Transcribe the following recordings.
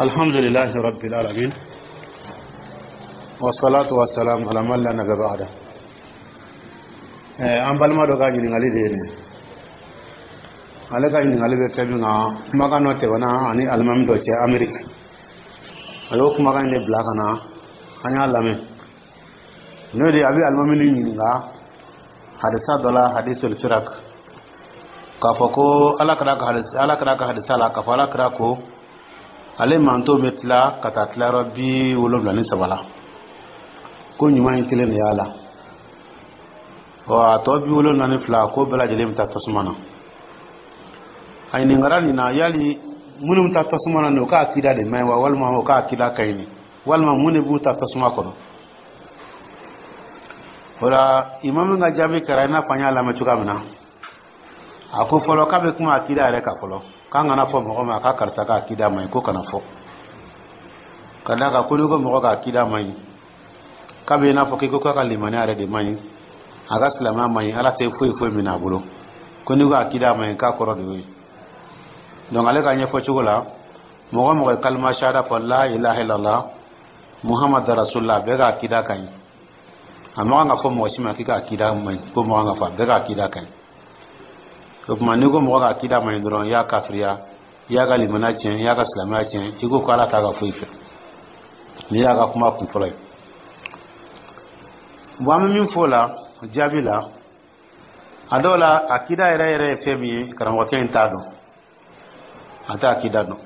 الحمد لله رب العالمين، والصلاة والسلام على من لا نبي بعده. An balima dɔ ka ɲininkali de ye nin. Ale ka ɲininkali bɛ fɛn min kan, kumakan dɔ tɛmɛna ani alimami dɔ cɛ Ameriki. A y'o kumakan in de bila ka na, an y'a lamɛn. N'o de ye, a bɛ alimami nin ɲininka hadisa dɔ la, hadisul firak, k'a fɔ ko Ala kira ka hadisa, Ala kira ka hadisa la, k'a fɔ Ala kira ko ale manto bɛ tila ka taa tilayɔrɔ 73 la, ko ɲuman in kelen de y'a la, ɔ a tɔ 72, ko bɛɛ lajɛlen bɛ taa tasuma na. A ɲininkara nin na, yali minnu bɛ taa tasuma na nin, o ka akida de man ɲi wa, walima o ka akida ka ɲi nin, walima mun de b'u ta tasuma kɔnɔ? O la, imamu ka jaabi kɛra i n'a fɔ an y'a lamɛn cogoya min na. A ko fɔlɔ k'a bɛ kuma akida yɛrɛ kan fɔlɔ, k'an kana fɔ mɔgɔ ma k'a karisa ka akida man ɲi, ko kana fɔ, ka d'a kan ko n'i ko mɔgɔ ka akida man ɲi, k'a bɛ i n'a fɔ k'i ko k'a ka limaniya yɛrɛ de man ɲi, a ka silamɛya man ɲi, Ala tɛ foyi foyi minɛ a bolo. Ko n'i ko akida man ɲi, k'a kɔrɔ de y'o ye. Donc ale ka ɲɛfɔ cogo la, mɔgɔ mɔgɔ ye kalima shahada fɔ, la ilaha illallah Muhammad rasulullah, bɛɛ ka akida ka ɲi. A ma kan ka fɔ mɔgɔ si ma k'i ka akida man ɲi, ko mɔgɔ kan ka fɔ a bɛɛ ka akida ka ɲi. O tuma, n'i ko mɔgɔ ka akida man ɲi dɔrɔn, i y'a kafiriya, i y'a ka limaniya tiɲɛ, i y'a ka silamɛya tiɲɛ, i ko ko Ala t'a ka foyi fɛ. N'i y'a ka kuma kun fɔlɔ ye. Bon, an bɛ min fɔ o la jaabi la, a dɔw la, akida yɛrɛ yɛrɛ ye fɛn min ye, karamɔgɔkɛ in t'a dɔn. A tɛ akida dɔn.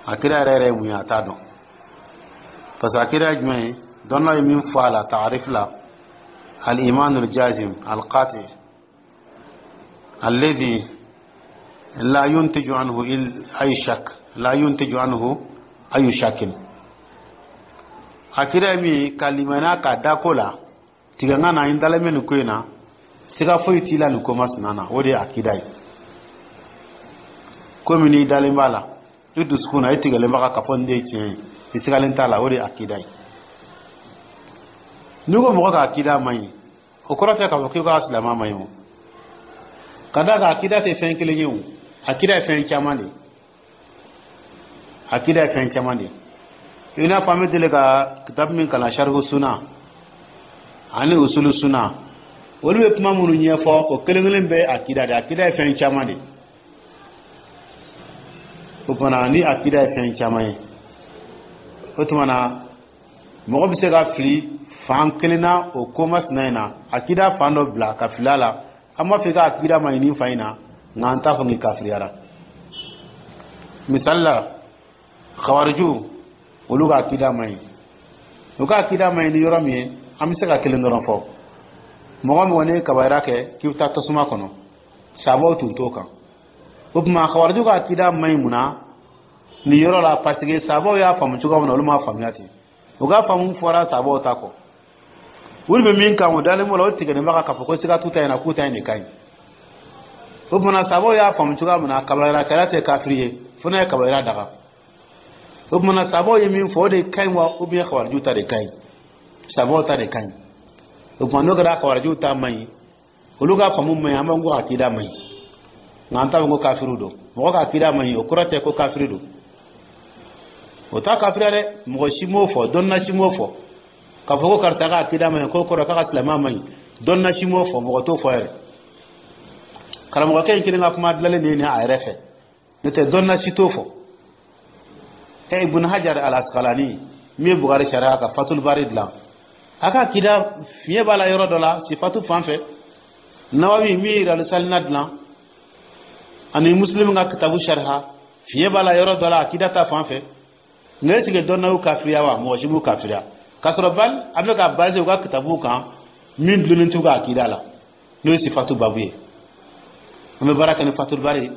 Akida yɛrɛ yɛrɛ ye mun ye, a t'a dɔn, parce que akida ye jumɛn ye? Dɔnnaw ye min fɔ a la taarif la: al-iman al-jazim al-qati alladhi la yuntiju anhu ay shak, la yuntiju anhu ayu shakin. Akida ye min ye, ka limaniya k'a da ko la tigɛ, n ka na n dalen bɛ nin ko in na, siga foyi t'i la nin ko masina na, o de ye akida ye. Komi n'i dalen b'a la i dusukun na, i tigɛlen b'a kan k'a fɔ nin de ye tiɲɛ ye, i sigalen t'a la, o de ye akida ye. N'i ko mɔgɔ ka akida man ɲi, o kɔrɔ tɛ k'a fɔ k'i ka silamɛya man ɲi. O ka d'a kan, akida tɛ fɛn kelen ye. O akida ye fɛn caman de ye. Akida ye fɛn caman de ye. I n'a fɔ an bɛ deli ka kitabu min kalan, sarihu suna ani usulu suna, olu bɛ kuma minnu ɲɛfɔ, o kelen kelen bɛɛ ye akida de ye. Akida ye fɛn caman de ye. O tuma, ni akida ye fɛn caman ye, o tuma na mɔgɔ bɛ se ka fili fan kelen na o ko masina in na, akida fan dɔ bila ka fili a la. An b'a fɔ i ka akida ma ɲi nin fan in na, nka an t'a fɔ k'i kafiriyara. Misali la, khawariju, olu ka akida ma ɲi. U ka akida ma ɲi ni yɔrɔ min ye, an bɛ se ka kelen dɔrɔn fɔ: mɔgɔ mɔgɔ ni kabayira kɛ k'i bɛ taa tasuma kɔnɔ, sabaw tun t'o kan. O tuma, khawariju ka akida ma ɲi mun na nin yɔrɔ la? Parce que sabaw y'a faamu cogoya min na, olu m'a faamuya ten. U ka faamu fɔra sabaw ta kɔ. Olu bɛ min kan, o dalen b'o la, o tigɛlen b'a kan k'a fɔ ko siga t'u ta in na, k'u ta in de ka ɲi. O tuma, sabaw y'a faamu cogoya min na, kabayira tɛ kafiri ye fo n'a ye kabayira daga. O tuma na, sabaw ye min fɔ, o de ka ɲi wa, ou bien khawariju ta de ka ɲi? Sabaw ta de ka ɲi. O tuma, n'o kɛra khawariju ta man ɲi, olu ka faamu man ɲi, an b'an ko akida man ɲi, nka an t'a fɔ ko kafiriw don. Mɔgɔ ka akida man ɲi, o kɔrɔ tɛ ko kafiri don. O t'a kafiriya dɛ. Mɔgɔ si m'o fɔ, dɔnna si m'o fɔ k'a fɔ ko karisa ka akida man ɲi, k'o kɔrɔ k'a ka silamɛya man ɲi. Dɔnna si m'o fɔ, mɔgɔ t'o fɔ yɛrɛ. Karamɔgɔkɛ in kelen ka kuma dilanlen de ye nin a yɛrɛ fɛ, n'o tɛ dɔnna si t'o fɔ. Ɛ, Ibn Hajar al Asqalani min ye Bukari sariya ka Fatul Bari dilan, a ka akida fiɲɛ b'a la yɔrɔ dɔ la, sifatu fan fɛ. Nawawi min ye Riyadu Salina dilan ani Muslim ka kitabu sariha, fiɲɛ b'a la yɔrɔ dɔ la akida ta fan fɛ. Nka est ce que dɔnna y'u kafiriya wa? Mɔgɔ si m'u kafiriya, k'a sɔrɔ bali a bɛ ka base u ka kitabu kan min dulonnen t'u ka akida la, n'o ye sifatu babu ye. An bɛ baara kɛ ni Fatul Bari,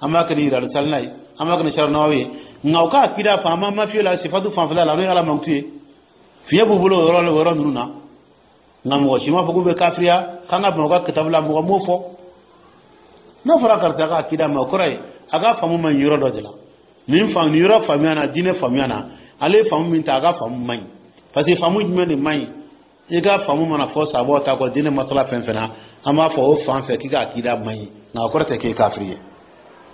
an b'a kɛ ni Riyadu Salina ye, an b'a kɛ ni Sariya Nawawi ye, nka u ka akida fan, an ma fiye la sifatu fanfɛla la, n'o ye Ala mankutu ye, fiɲɛ b'u bolo o yɔrɔ la, o yɔrɔ ninnu na. Nka mɔgɔ si m'a fɔ k'u bɛ kafiriya k'an ka ban u ka kitabu la. Mɔgɔ m'o fɔ. N'a fɔra karisa ka akida ma, o kɔrɔ ye a ka faamu ma ɲi yɔrɔ dɔ de la. Nin faamu, nin yɔrɔ faamuya na, diinɛ faamuya na, ale ye faamu min ta, a ka faamu man ɲi. Parce que faamu jumɛn de man ɲi? I ka faamu mana fɔ sabaw ta kɔ diinɛ masala fɛn fɛn na, an b'a fɔ o fan fɛ k'i ka akida man ɲi, nka o kɔrɔ tɛ k'e kafiri ye.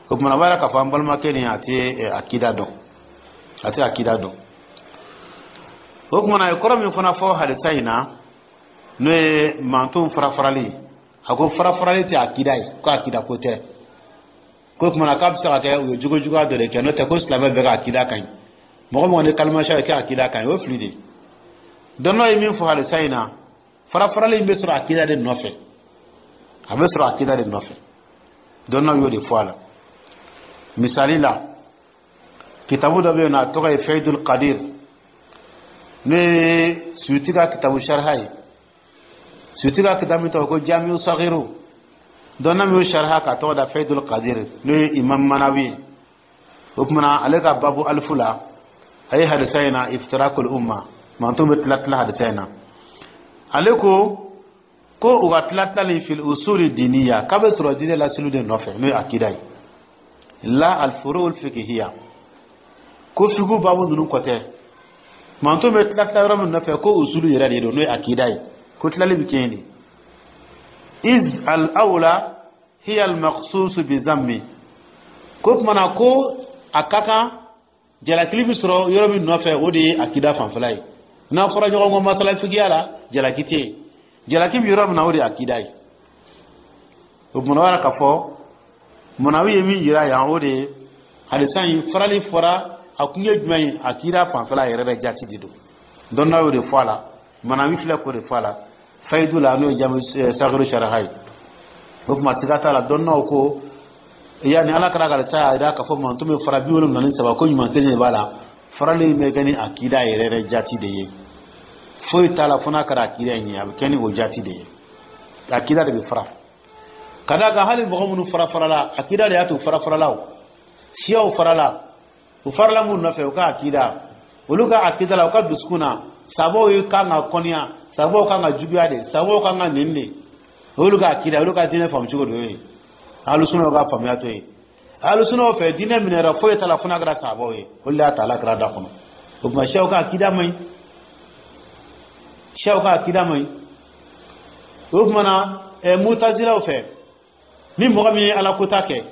O tuma, a b'a yira k'a fɔ an balimakɛ nin, a tɛ akida dɔn. A tɛ akida dɔn. O tuma na, a ye kɔrɔ min fana fɔ hadisa in na, n'o ye mantonw fara farali ye, a ko fara farali tɛ akida ye, ko akida ko tɛ. Ko tuma na, k'a bɛ se ka kɛ u ye jogo juguya dɔ de kɛ, n'o tɛ ko silamɛ bɛɛ ka akida ka ɲi. Mɔgɔ mɔgɔ ni kalimasiya ye kɛ akida ka ɲi, o ye fili de ye. Dɔnnaw ye min fɔ hadisa in na, fara farali in bɛ sɔrɔ akida de nɔfɛ, a bɛ sɔrɔ akida de nɔfɛ. Dɔnnaw y'o de fɔ a la. Misali la, kitabu dɔ bɛ yen nɔ, a tɔgɔ ye Fayidul Qadir, n'o ye Suyuti ka kitabu sariha ye. Suyuti ka kitabu min tɔgɔ ko Jamiu Sagiru, dɔnna min y'o sariha k'a tɔgɔ da Fayidul Qadir, n'o ye Imam Manawi ye. O tuma na, ale ka babu alifu la, a ye hadisa in na, iftirakul umma, manton bɛ tila tila hadisa in na, ale ko ko u ka tila tilali fil usuli diniya, k'a bɛ sɔrɔ diinɛ lasiliw de nɔfɛ, n'o ye akida ye, la alfurul fikihiya, ko fiku babu ninnu kɔ tɛ. Manton bɛ tila tila yɔrɔ min nɔfɛ, ko usulu yɛrɛ de don, n'o ye akida ye, ko tilali bɛ kɛ yen de. Iz al awla hiya al maqsus bi zammi, ko tuma na, ko a ka kan jalakili bɛ sɔrɔ yɔrɔ min nɔfɛ, o de ye akida fanfɛla ye. N'a fɔra ɲɔgɔn kɔ masala fikiya la, jalaki tɛ yen. Jalaki bɛ yɔrɔ min na, o de ye akida ye. O tuma na, o yɛrɛ k'a fɔ Manawi ye min yira yan, o de ye hadisa in farali fɔra, a kun ye jumɛn ye? Akida fanfɛla yɛrɛ bɛ jati de don. Dɔnna y'o de fɔ a la. Manawi filɛ k'o de fɔ a la Fayidu la, n'o ye Jami Sagiru saraha ye. O tuma, siga t'a la, dɔnnaw ko yanni Ala kɛra ka sa y'a jira k'a fɔ manton bɛ fara 73, ko ɲuman kelen de b'a la. Farali in bɛ kɛ ni akida yɛrɛ yɛrɛ jati de ye. Foyi t'a la fo n'a kɛra akida in ye, a bɛ kɛ ni o jati de ye. Akida de bɛ fara ka d'a kan. Hali mɔgɔ minnu fara farala, akida de y'a to fara farala. O siyaw farala, u farala mun nɔfɛ? U ka akida. Olu ka akida la, u ka dusukun na, sabaw ye kan ka kɔniya, sabaw kan ka juguya de, sabaw kan ka neni de. Olu ka akida, olu ka diinɛ faamu cogo de y'o ye. Alusunaw ka faamuya to ye. Alusunaw fɛ, diinɛ minɛra, foyi t'a la fo n'a kɛra sabaw ye. Olu de y'a ta Ala kɛra da kɔnɔ. O tuma, siyaw ka akida man ɲi, siyaw ka akida man ɲi. O tuma na, mutazilaw fɛ, ni mɔgɔ min ye Ala kota kɛ,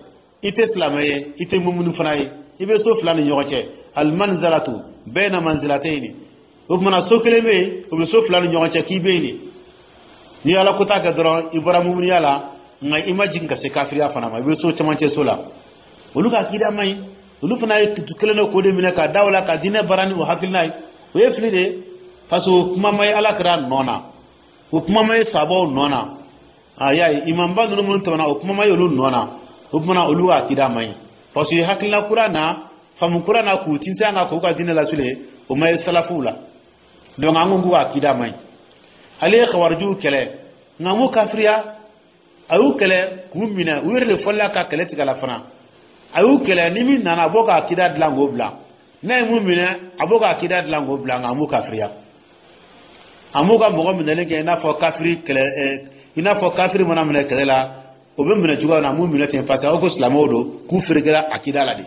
i tɛ silamɛ ye, i tɛ mumuni fana ye, i bɛ so fila ni ɲɔgɔn cɛ, almanzalatu bayna manzilatayni. O tuma na, so kelen bɛ yen, o bɛ so fila ni ɲɔgɔn cɛ, k'i bɛ yen de. N'i ye Ala kota kɛ dɔrɔn, i bɔra mumuniya la, nka i ma jigin ka se kafiriya fana ma, i bɛ so cɛmancɛ so la. Olu ka akida man ɲi. Olu fana ye kelen dɔ k'o de minɛ ka da o la ka diinɛ baara ni o hakilina ye. O ye fili de ye, parce que o kuma ma ye Ala kɛra nɔ na, o kuma ma ye sabaw nɔ na. A y'a ye, imamba ninnu minnu tɛmɛna, o kuma ma ye olu nɔ na. O tuma na, olu ka akida man ɲi, parce que hakilina kura na, faamu kura na, k'u tintin an kan k'u ka diinɛ lasule, o ma ye salafuw la. Donc an ko k'u ka akida man ɲi. Ale ye kawarijiw kɛlɛ, nka m'u kafiriya. A y'u kɛlɛ k'u minɛ, u yɛrɛ de fɔlila ka kɛlɛ tigɛ la fana. A y'u kɛlɛ, ni min nana, a b'o ka akida dilan k'o bila. N'a ye mun minɛ, a b'o ka akida dilan k'o bila, nka a m'u kafiriya. A m'u ka mɔgɔ minɛlen kɛ i n'a fɔ kafiri kɛlɛ, i n'a fɔ kafiri mana minɛ kɛlɛ la, o bɛ minɛ cogoya min na, a m'u minɛ ten, parce que aw ko silamɛw don, k'u ferekela akida la de.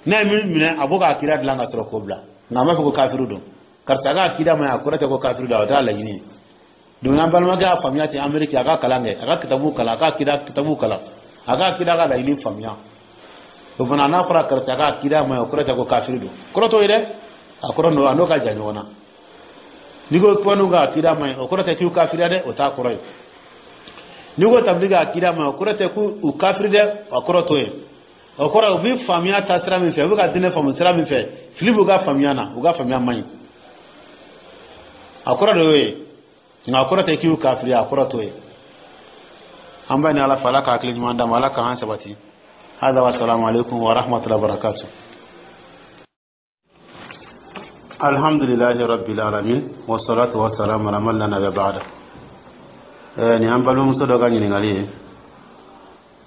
N'a ye min minɛ, a b'o ka akida dilan ka sɔrɔ k'o bila, nka a m'a fɔ ko kafiri don. Karisa ka akida ma ɲi, a kɔrɔ tɛ ko kafiri don, o t'a laɲini ye. Donc an balimakɛ y'a faamuya ten. Ameriki, a ka kalan kɛ, a ka kitabu kalan, a ka akida kitabu kalan, a ka akida ka laɲini faamuya. O fana, n'a fɔra karisa ka akida ma ɲi, o kɔrɔ tɛ ko kafiri don. Kɔrɔ t'o ye dɛ, a kɔrɔ n'o a n'o ka jan ɲɔgɔn na. N'i ko kɔniw ka akida ma ɲi, o kɔrɔ tɛ k'u kafiriya dɛ, o t'a kɔrɔ ye. N'i ko tabili ka akida ma ɲi, o kɔrɔ tɛ k'u kafiri dɛ, o kɔrɔ t'o ye. O kɔrɔ, u bɛ faamuya ta sira min fɛ, u bɛ ka diinɛ faamu sira min fɛ, fili b'u ka faamuya na, u ka faamuya man ɲi, a kɔrɔ de y'o ye. Nka a kɔrɔ tɛ k'u kafiri, a kɔrɔ t'o ye. An b'a ni Ala fɛ, Ala ka hakili ɲuman d'an ma, Ala k'an sabati. Hada wa salamu alaikum wa rahmatullahi wa barakatuh. Alhamdulillahi rabbil alamin, wa salatu wa salam ala man la nabiyya ba'da. Nin an balimamuso dɔ ka ɲininkali ye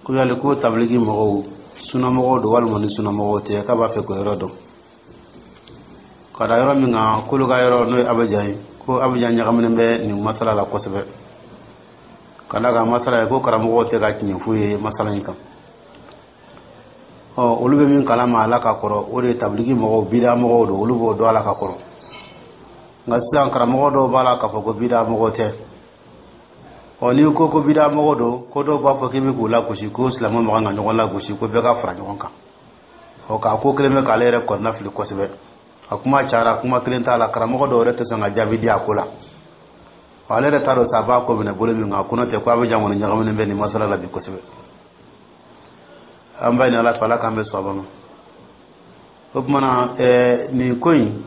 ko yali ko tabiliki mɔgɔw sunamɔgɔw don walima ni sunamɔgɔw tɛ, k'a b'a fɛ k'o yɔrɔ dɔn. Ka da yɔrɔ min kan, k'olu ka yɔrɔ, n'o ye Abijan ye, ko Abijan ɲagaminen bɛ nin masala la kosɛbɛ, ka da kan masala ye ko karamɔgɔw tɛ ka tiɲɛ f'u ye masala in kan. Ɔ, olu bɛ min kalama a la ka kɔrɔ, o de ye tabiliki mɔgɔw bida mɔgɔw don, olu b'o dɔn a la ka kɔrɔ. Nka sisan, karamɔgɔ dɔw b'a la k'a fɔ ko bida mɔgɔ tɛ. Ɔ, n'i ko ko bida mɔgɔ don, ko dɔw b'a fɔ k'i bɛ k'u lagosi, ko silamɛ man kan ka ɲɔgɔn lagosi, ko bɛɛ ka fara ɲɔgɔn kan. Ɔ, k'a ko kelen bɛ k'ale yɛrɛ kɔnɔna fili kosɛbɛ. A kuma cayara, kuma kelen t'a la. Karamɔgɔ dɔw yɛrɛ tɛ sɔn ka jaabi di a ko la. Ale yɛrɛ t'a dɔn sa a b'a ko minɛ bolo min kan. Ko n'o tɛ, ko a bɛ jan kɔni ɲagaminen bɛ nin masala la bi kosɛbɛ. An b'a ɲini Ala fɛ, Ala k'an bɛ sɔn ma. O tuma na, nin ko in,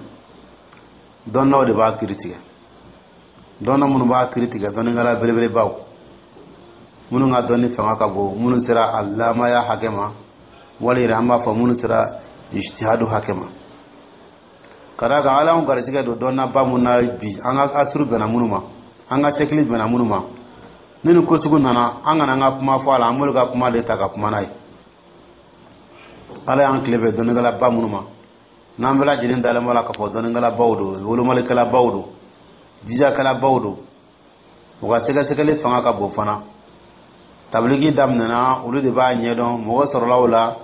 dɔnnaw de b'a kiri tigɛ. Dɔnna minnu b'a kiri tigɛ, dɔnnikɛla belebelebaw minnu ka dɔnni fanga ka bon, minnu sera a lamaya hakɛ ma, wali yɛrɛ an b'a fɔ minnu sera ijtihadu hakɛ ma, ka d'a kan Ala y'anw garijɛgɛ don dɔnnaba mun na bi, an ka asuru bɛnna minnu ma, an ka sɛkili bɛnna minnu ma. Ni nin ko sugu nana, an kana an ka kuma fɔ a la, an b'olu ka kuma de ta ka kuma n'a ye. Ala y'an tile bɛn dɔnnikɛlaba minnu ma, n'an bɛɛ lajɛlen dalen b'a la k'a fɔ dɔnnikɛlabaw don, wolomalikɛlabaw don, jijakɛlabaw don, u ka sɛgɛsɛgɛli fanga ka bon fana. Tabiliki daminɛna, olu de b'a ɲɛdɔn. Mɔgɔ sɔrɔla o la,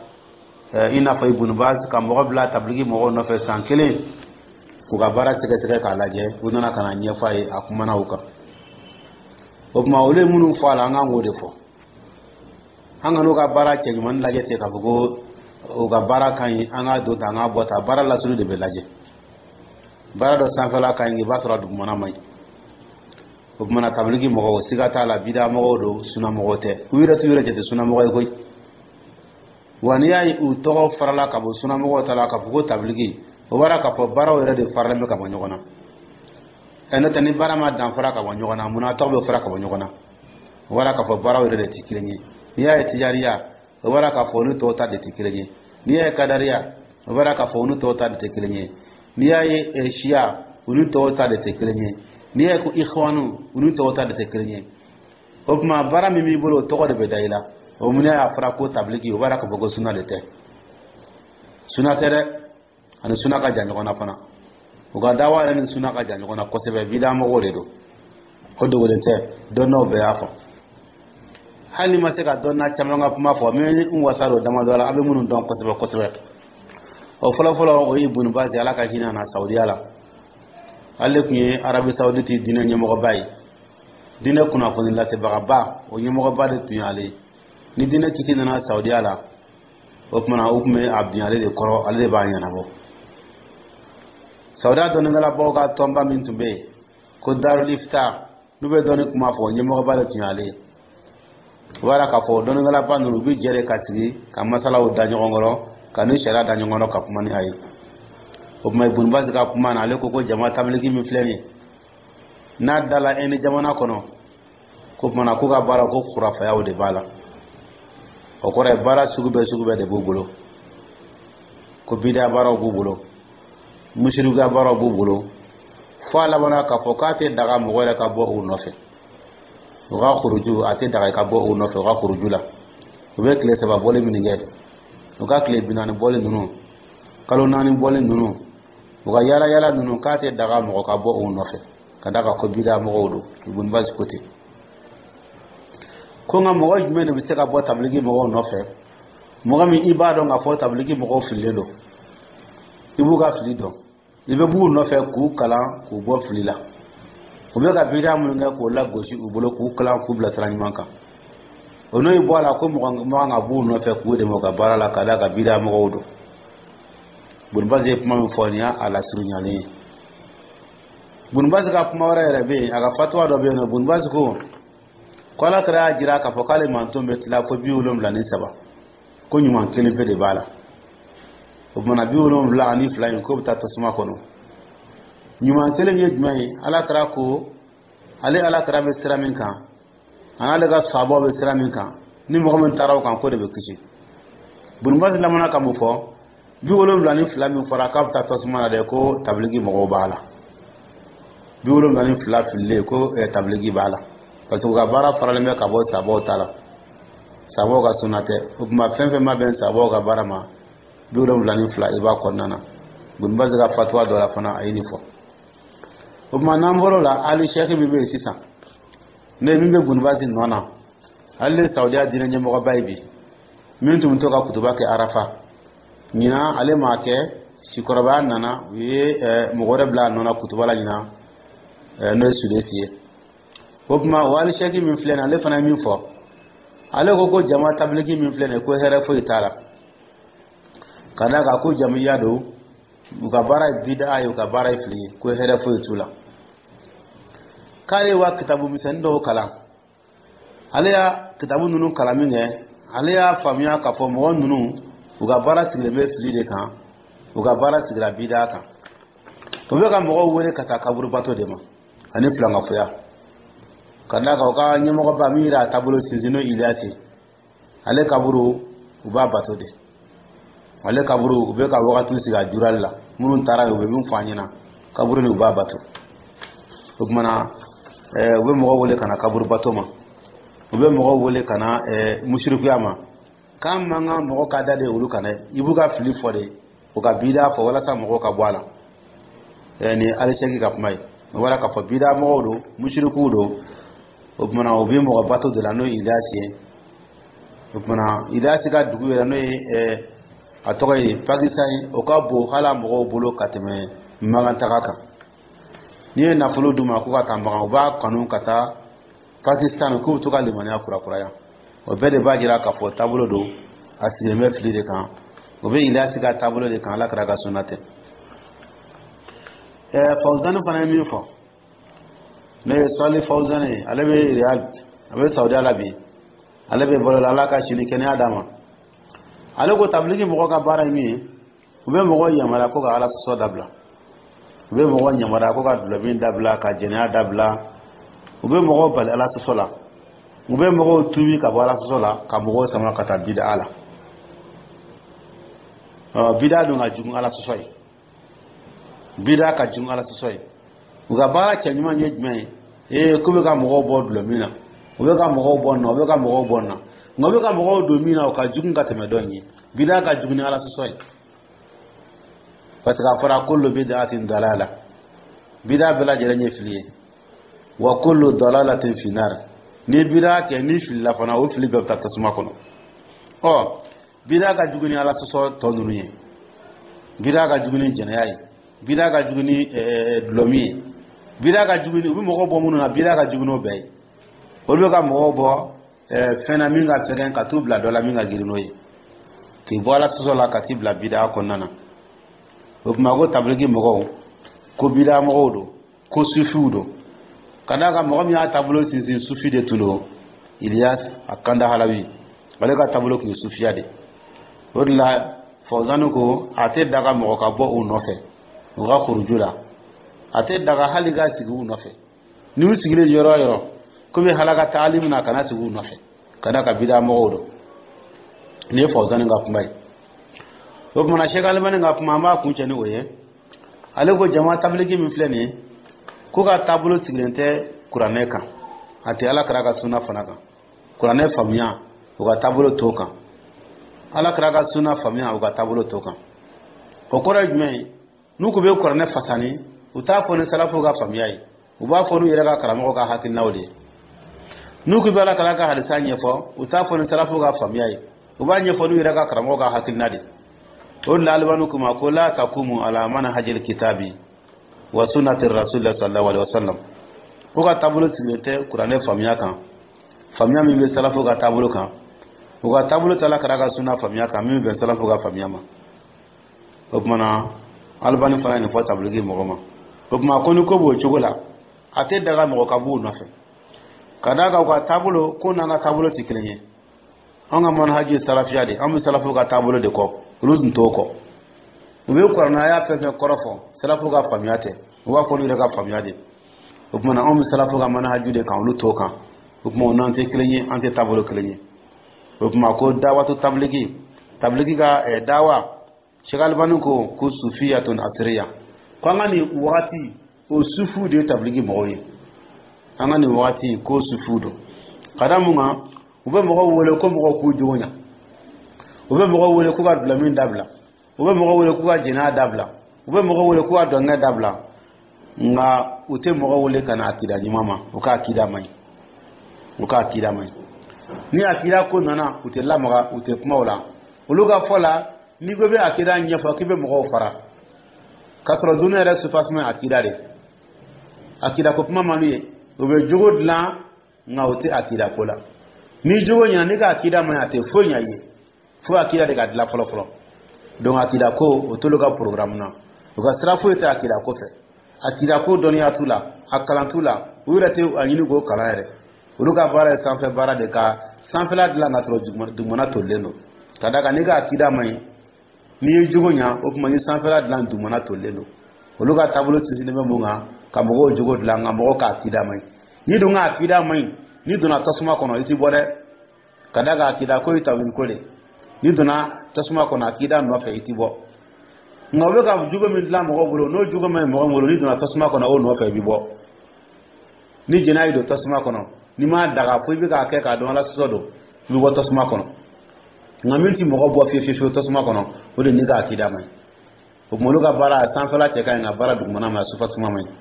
i n'a fɔ Ibunu Baz, ka mɔgɔ bila tabiliki mɔgɔw nɔfɛ san kelen k'u ka baara sɛgɛsɛgɛ k'a lajɛ. U nana ka na ɲɛfɔ a ye, a kumana o kan. O tuma, olu ye minnu fɔ a la, an kan k'o de fɔ. An ka n'u ka baara cɛɲumanni lajɛ ten k'a fɔ ko u ka baara ka ɲi, an k'a don tan, an k'a bɔ tan. Baara lasulu de bɛ lajɛ. Baara dɔ sanfɛla ka ɲi, i b'a sɔrɔ a dugumana man ɲi. O tuma na, tabiliki mɔgɔw, siga t'a la, bida mɔgɔw don, suna mɔgɔw tɛ. U yɛrɛ t'u yɛrɛ jate sunamɔgɔ ye koyi. Wa n'i y'a ye u tɔgɔ farala ka bɔ sunamɔgɔw ta la k'a fɔ ko tabiliki, o b'a k'a fɔ baaraw yɛrɛ de faralen bɛ ka bɔ ɲɔgɔn na. Ɛ, n'o tɛ, ni baara ma danfara ka bɔ ɲɔgɔn na, munna tɔgɔ bɛ fara ka bɔ ɲɔgɔn na? O b'a k'a fɔ baaraw yɛrɛ de tɛ kelen ye. N'i y'a ye tijariya, o b'a k'a fɔ olu tɔw ta de tɛ kelen ye. N'i y'a ye kadariya, o b'a k'a fɔ olu tɔw ta de tɛ kelen ye. N'i y'a ye siya, olu tɔw ta de tɛ kelen ye. N'i y'a ye ko ikhwanu, olu tɔw ta de tɛ kelen ye. O tuma, baara min b'i bolo, o tɔgɔ de bɛ da i la. O mun y'a fɔra ko tabiliki, o b'a k'a fɔ ko suna de tɛ. Suna tɛ dɛ, ani suna ka jan ɲɔgɔn na fana. U ka dawa yɛrɛ ni suna ka jan ɲɔgɔn na kosɛbɛ. Bida mɔgɔw de don, o dogolen tɛ, dɔnnaw bɛɛ y'a fɔ. Hali ni ma se ka dɔnna caman ka kuma fɔ, n bɛ n wasa don damadɔ la, a bɛ minnu dɔn kosɛbɛ kosɛbɛ. O fɔlɔfɔlɔ, o ye Ibunu Bazi, Ala ka hinɛ na, Saudiya la. Ale tun ye Arabi Saoudite diinɛ ɲɛmɔgɔba ye, diinɛ kunnafoni lasebagaba, o ɲɛmɔgɔba de tun ye ale ye. Ni diinɛ kiti nana Saudiya la, o tuma o tun bɛ a bin ale de kɔrɔ, ale de b'a ɲɛnabɔ. Saudiya dɔnnikɛlabaw ka tɔnba min tun bɛ yen ko Darul Ifta, n'u bɛ dɔnni kuma fɔ, ɲɛmɔgɔba de tun ye ale ye. O b'a k'a fɔ dɔnnikɛlaba ninnu, u bɛ jɛ de ka sigi ka masalaw da ɲɔgɔn kɔrɔ, ka ni sariya da ɲɔgɔn kɔrɔ, ka kuma ni a ye. O tuma, Ibunu Bazi ka kuma na, ale ko ko jama tabiliki min filɛ nin ye, n'a dala Inde jamana kɔnɔ, ko tuma na k'u ka baara ko kurafayaw de b'a la. O kɔrɔ ye baara sugu bɛɛ sugu bɛɛ de b'u bolo, ko bida baaraw b'u bolo, musirikuya baaraw b'u bolo, fo a labanna k'a fɔ k'a tɛ daga mɔgɔ yɛrɛ ka bɔ u nɔfɛ. U ka kuruju, a tɛ daga i ka bɔ u nɔfɛ u ka kuruju la. U bɛ tile 3 bɔli min kɛ, u ka tile 40 bɔli ninnu, kalo 4 bɔli ninnu, u ka yala yala ninnu, k'a tɛ daga mɔgɔ ka bɔ u nɔfɛ, ka d'a kan ko bida mɔgɔw don. Ibunu Bazi ko ten. Ko nka mɔgɔ jumɛn de bɛ se ka bɔ tabiliki mɔgɔw nɔfɛ? Mɔgɔ min i b'a dɔn k'a fɔ tabiliki mɔgɔw fililen don, i b'u ka fili dɔn, i bɛ b'u nɔfɛ k'u kalan k'u bɔ fili la, u bɛ ka bida minnu kɛ k'o lagosi u bolo, k'u kalan k'u bila sira ɲuman kan. O n'o bɔ a la ko mɔgɔ man ka b'u nɔfɛ k'u dɛmɛ u ka baara la, ka d'a kan bida mɔgɔw don. Ibunu Bazi ye kuma min fɔ, nin y'a lasurunyalen ye. Ibunu Bazi ka kuma wɛrɛ yɛrɛ bɛ yen, a ka fatuwa dɔ bɛ yen nɔ. Ibunu Bazi ko ko Ala kɛra y'a jira k'a fɔ k'ale manton bɛ tila fo 73, ko ɲuman kelen pe de b'a la. O tuma na, 72 in, k'o bɛ taa tasuma kɔnɔ. Ɲuman kelen ye jumɛn ye? Ala kɛra ko ale Ala kɛra bɛ sira min kan, a n'ale ka sabaw bɛ sira min kan, ni mɔgɔ min taara o kan, k'o de bɛ kisi. Ibunu Bazi lamana ka mun fɔ? 72 min fɔra k'a bɛ taa tasuma na dɛ, ko tabiliki mɔgɔw b'a la. 72 fililen, ko tabiliki b'a la, parce que u ka baara faralen bɛ ka bɔ sabaw ta la, sabaw ka sunna tɛ. O tuma, fɛn fɛn ma bɛn sabaw ka baara ma, 72, i b'a kɔnɔna na. Ibunu Bazi ka fatuwa dɔ la fana, a ye nin fɔ. O tuma, n'an bɔr'o la, Ali Sɛki min bɛ yen sisan, ne min bɛ Ibunu Bazi nɔ na, ale ye Saudiya diinɛ ɲɛmɔgɔba ye bi, min tun bɛ to ka kutuba kɛ Arafa. Ɲinan ale m'a kɛ, sikɔrɔbaya nana, u ye mɔgɔ wɛrɛ bila a nɔ na kutuba la ɲinan, n'o ye Sudesi ye. O tuma, o Ali Sɛki min filɛ nin ye, ale fana ye min fɔ, ale ko ko jama tabiliki min filɛ nin ye, ko hɛrɛ foyi t'a la. Ka d'a kan ko jamiya don, u ka baara ye bida ye, u ka baara ye fili ye, ko hɛrɛ foyi t'u la. K'ale wa kitabu misɛnnin dɔw kalan, ale y'a kitabu ninnu kalan min kɛ, ale y'a faamuya k'a fɔ mɔgɔ ninnu, u ka baara sigilen bɛ fili de kan, u ka baara sigira bida kan. U bɛ ka mɔgɔw wele ka taa kaburubato de ma ani filankafoya. Ka d'a kan u ka ɲɛmɔgɔba min yɛrɛ a taabolo sinsin, n'o Iliyasi, ale kaburu u b'a bato de, ale kaburu u bɛ ka wagatiw sigi a jurali la. Minnu taara yen, u bɛ min fɔ an ɲɛna, kaburu nin u b'a bato. O tuma na u bɛ mɔgɔw wele ka na kaburu bato ma, u bɛ mɔgɔw wele ka na musirikuya ma. K'an man kan mɔgɔ ka da de olu kan dɛ, i b'u ka fili fɔ de, u ka bida fɔ walasa mɔgɔw ka bɔ a la. Nin Alisɛki ka kuma ye. O bɔra k'a fɔ bida mɔgɔw don, musirikuw don. O tuma na u bɛ mɔgɔ bato de la, n'o ye Iliyasi ye. O tuma na Iliyasi ka dugu yɛrɛ, n'o ye a tɔgɔ ye Pakistan ye, o ka bon hali a mɔgɔw bolo ka tɛmɛ Makan taga kan. N'i ye nafolo d'u ma k'u ka taa Makan, u b'a kanu ka taa Pakistan, k'u bɛ to ka limaniya kurakuraya. O bɛɛ de b'a jira k'a fɔ taabolo don, a sigilen bɛ fili de kan. O bɛ Iliyasi ka taabolo de kan, Ala kira ka sunna tɛ. Fawuzani fana ye min fɔ, n'o ye Sali Fawuzani ye, ale bɛ Riyad, a bɛ Saudiya la bi, ale bɛ balo la, Ala ka sini kɛnɛya d'a ma. Ale ko tabiliki mɔgɔ ka baara ye min ye, u bɛ mɔgɔw yamaruya ko ka Ala sɔsɔ dabila, u bɛ mɔgɔw yamaruya ko ka dulɔmin dabila, ka jɛnɛya dabila, u bɛ mɔgɔw bali Ala sɔsɔ la, u bɛ mɔgɔw tuubi ka bɔ Ala sɔsɔ la, ka mɔgɔw sama ka taa bida la. Bida dun ka jugu Ala sɔsɔ ye, bida ka jugu Ala sɔsɔ ye. U ka baara cɛɲuman ye jumɛn ye? Ee, k'u bɛ ka mɔgɔw bɔ dulɔmin na, u bɛ ka mɔgɔw bɔ nin na, u bɛ ka mɔgɔw bɔ nin na, nka u bɛ ka mɔgɔw don min na, o ka jugu ka tɛmɛ dɔ in ye. Bida ka jugu ni Ala sɔsɔ ye, parce que a fɔra kullu bid'atin dalala, bida bɛɛ lajɛlen ye fili ye, wa kullu dalalatin fi nar. Ni bida kɛ, ni filila fana, o fili bɛɛ bɛ taa tasuma kɔnɔ. Ɔ, bida ka jugu ni Ala sɔsɔ tɔ ninnu ye, bida ka jugu ni jɛnɛya ye, bida ka jugu ni dulɔmin ye, bida ka jugu ni u bɛ mɔgɔw bɔ minnu na, bida ka jugu n'o bɛɛ ye. Olu bɛ ka mɔgɔw bɔ fɛn na min ka fɛgɛn, ka t'u bila dɔ la min ka girin n'o ye, k'i bɔ Ala sɔsɔ la ka t'i bila bida kɔnɔna na. O tuma ko tabiliki mɔgɔw ko bida mɔgɔw don, ko sufiw don. Ka d'a kan mɔgɔ min y'a taabolo sinsin, sufi de tun don, Iliyas a Kandahalawi, ale ka taabolo tun ye sufiya de. O de la Fawzani ko a tɛ daga mɔgɔ ka bɔ u nɔfɛ u ka kuruju la, a tɛ daga hali ka sigi u nɔfɛ. N'u sigilen yɔrɔ o yɔrɔ ko bɛ halaka taali min na, kana sigi u nɔfɛ, ka d'a kan bida mɔgɔw don. Nin ye Fawzani ka kuma ye. O tuma na Sɛki Alimani ka kuma, an b'a kun cɛ ni o ye. Ale ko jama tabiliki min filɛ nin ye, ko ka taabolo sigilen tɛ kuranɛ kan, a tɛ Ala kira ka sunna fana kan. Kuranɛ faamuya, u ka taabolo t'o kan. Ala kira ka sunna faamuya, u ka taabolo t'o kan. O kɔrɔ ye jumɛn ye? N'u ko bɛ kuranɛ fasani, u t'a fɔ ni salafu ka faamuya ye, u b'a fɔ n'u yɛrɛ ka karamɔgɔ ka hakilinaw de ye. N'u ko bɛ Ala kira ka hadisa ɲɛfɔ, u t'a fɔ ni salafu ka faamuya ye, u b'a ɲɛfɔ n'u yɛrɛ ka karamɔgɔ ka hakilina de. O de la Alibani kuma ko la takumu ala manhajil kitabi wa sunnati rasulillah sallallahu alaihi wasallam. Ko ka taabolo sigilen tɛ kuranɛ faamuya kan, faamuya min bɛ salafu ka taabolo kan. U ka taabolo tɛ Ala kira ka sunna faamuya kan min bɛ bɛn salafu ka faamuya ma. O tuma na Alibani fana ye nin fɔ tabiliki mɔgɔ ma. O tuma ko ni ko b'o cogo la, a tɛ daga mɔgɔ ka b'u nɔfɛ, ka d'a kan u ka taabolo ko n'an ka taabolo tɛ kelen ye. An ka manhaji ye salafiya de, an bɛ salafu ka taabolo de kɔ, olu dun t'o kɔ. U bɛ kuranɛ aya fɛn fɛn kɔrɔ fɔ, salafu ka faamuya tɛ, u b'a fɔ olu yɛrɛ ka faamuya de. O tuma na anw bɛ salafu ka manhaju de kan, olu t'o kan. O tuma o n'an tɛ kelen ye, an tɛ taabolo kelen ye. O tuma ko dawatu tabiliki, tabiliki ka dawa, Sɛki Alibani ko ko sufiyatun asiriya, ko an ka nin wagati o sufiw de ye tabiliki mɔgɔw ye. An ka nin wagati ko sufiw don, ka da mun kan? U bɛ mɔgɔw wele ko mɔgɔw k'u jogo ɲa, u bɛ mɔgɔw wele k'u ka dulɔmin dabila, u bɛ mɔgɔw wele k'u ka jɛnɛya dabila, u bɛ mɔgɔw wele k'u ka dɔnkɛ dabila, nka u tɛ mɔgɔw wele ka na akida ɲuman ma. U ka akida man ɲi, u ka akida man ɲi. Ni akida ko nana, u tɛ lamaga, u tɛ kuma o la. Olu ka fɔ la, n'i ko i bɛ akida ɲɛfɔ, k'i bɛ mɔgɔw fara, k'a sɔrɔ dunuya yɛrɛ soubassement akida de. Akida ko kuma man d'u ye. U bɛ jogo dilan, nka u tɛ akida ko la. Ni jogo ɲɛna, n'i ka akida man ɲi, a tɛ foyi ɲɛ i ye. Fo akida de ka dilan fɔlɔ fɔlɔ. Donc akida ko, o t'olu ka programme na. U ka sira foyi tɛ akida ko fɛ. Akida ko dɔnniya t'u la, a kalan t'u la, u yɛrɛ tɛ a ɲini k'o kalan yɛrɛ. Olu ka baara ye sanfɛ baara de, ka sanfɛla dilan ka sɔrɔ dugumana tolilen don. Ka d'a kan n'i ka akida man ɲi, n'i ye jogo ɲa, o tuma ni sanfɛla dilan, dugumana tolilen don. Olu ka taabolo sinsinnen bɛ mun kan? Ka mɔgɔw jogo dilan, nka mɔgɔw ka akida man ɲi. N'i dun ka akida man ɲi, n'i donna tasuma kɔnɔ, i ti bɔ dɛ. Ka d'a kan akida ko ye tawhid ko de. N'i donna tasuma kɔnɔ akida nɔfɛ, i ti bɔ. Nka u bɛ ka jogo min dilan mɔgɔw bolo, n'o jogo man ɲi mɔgɔ bolo, n'i donna tasuma kɔnɔ o nɔfɛ, i bi bɔ. Ni jɛnɛya y'i don tasuma kɔnɔ, n'i m'a daga fo i bɛ k'a kɛ k'a dɔn Ala sɔsɔ don, i bɛ bɔ tasuma kɔnɔ. Nka min ti mɔgɔ bɔ fiyewu fiyewu tasuma kɔnɔ, o de n'i ka akida man ɲi. O tuma olu ka baara sanfɛla cɛ ka ɲi, nka baara dugumana ma, sufasuma man ɲi.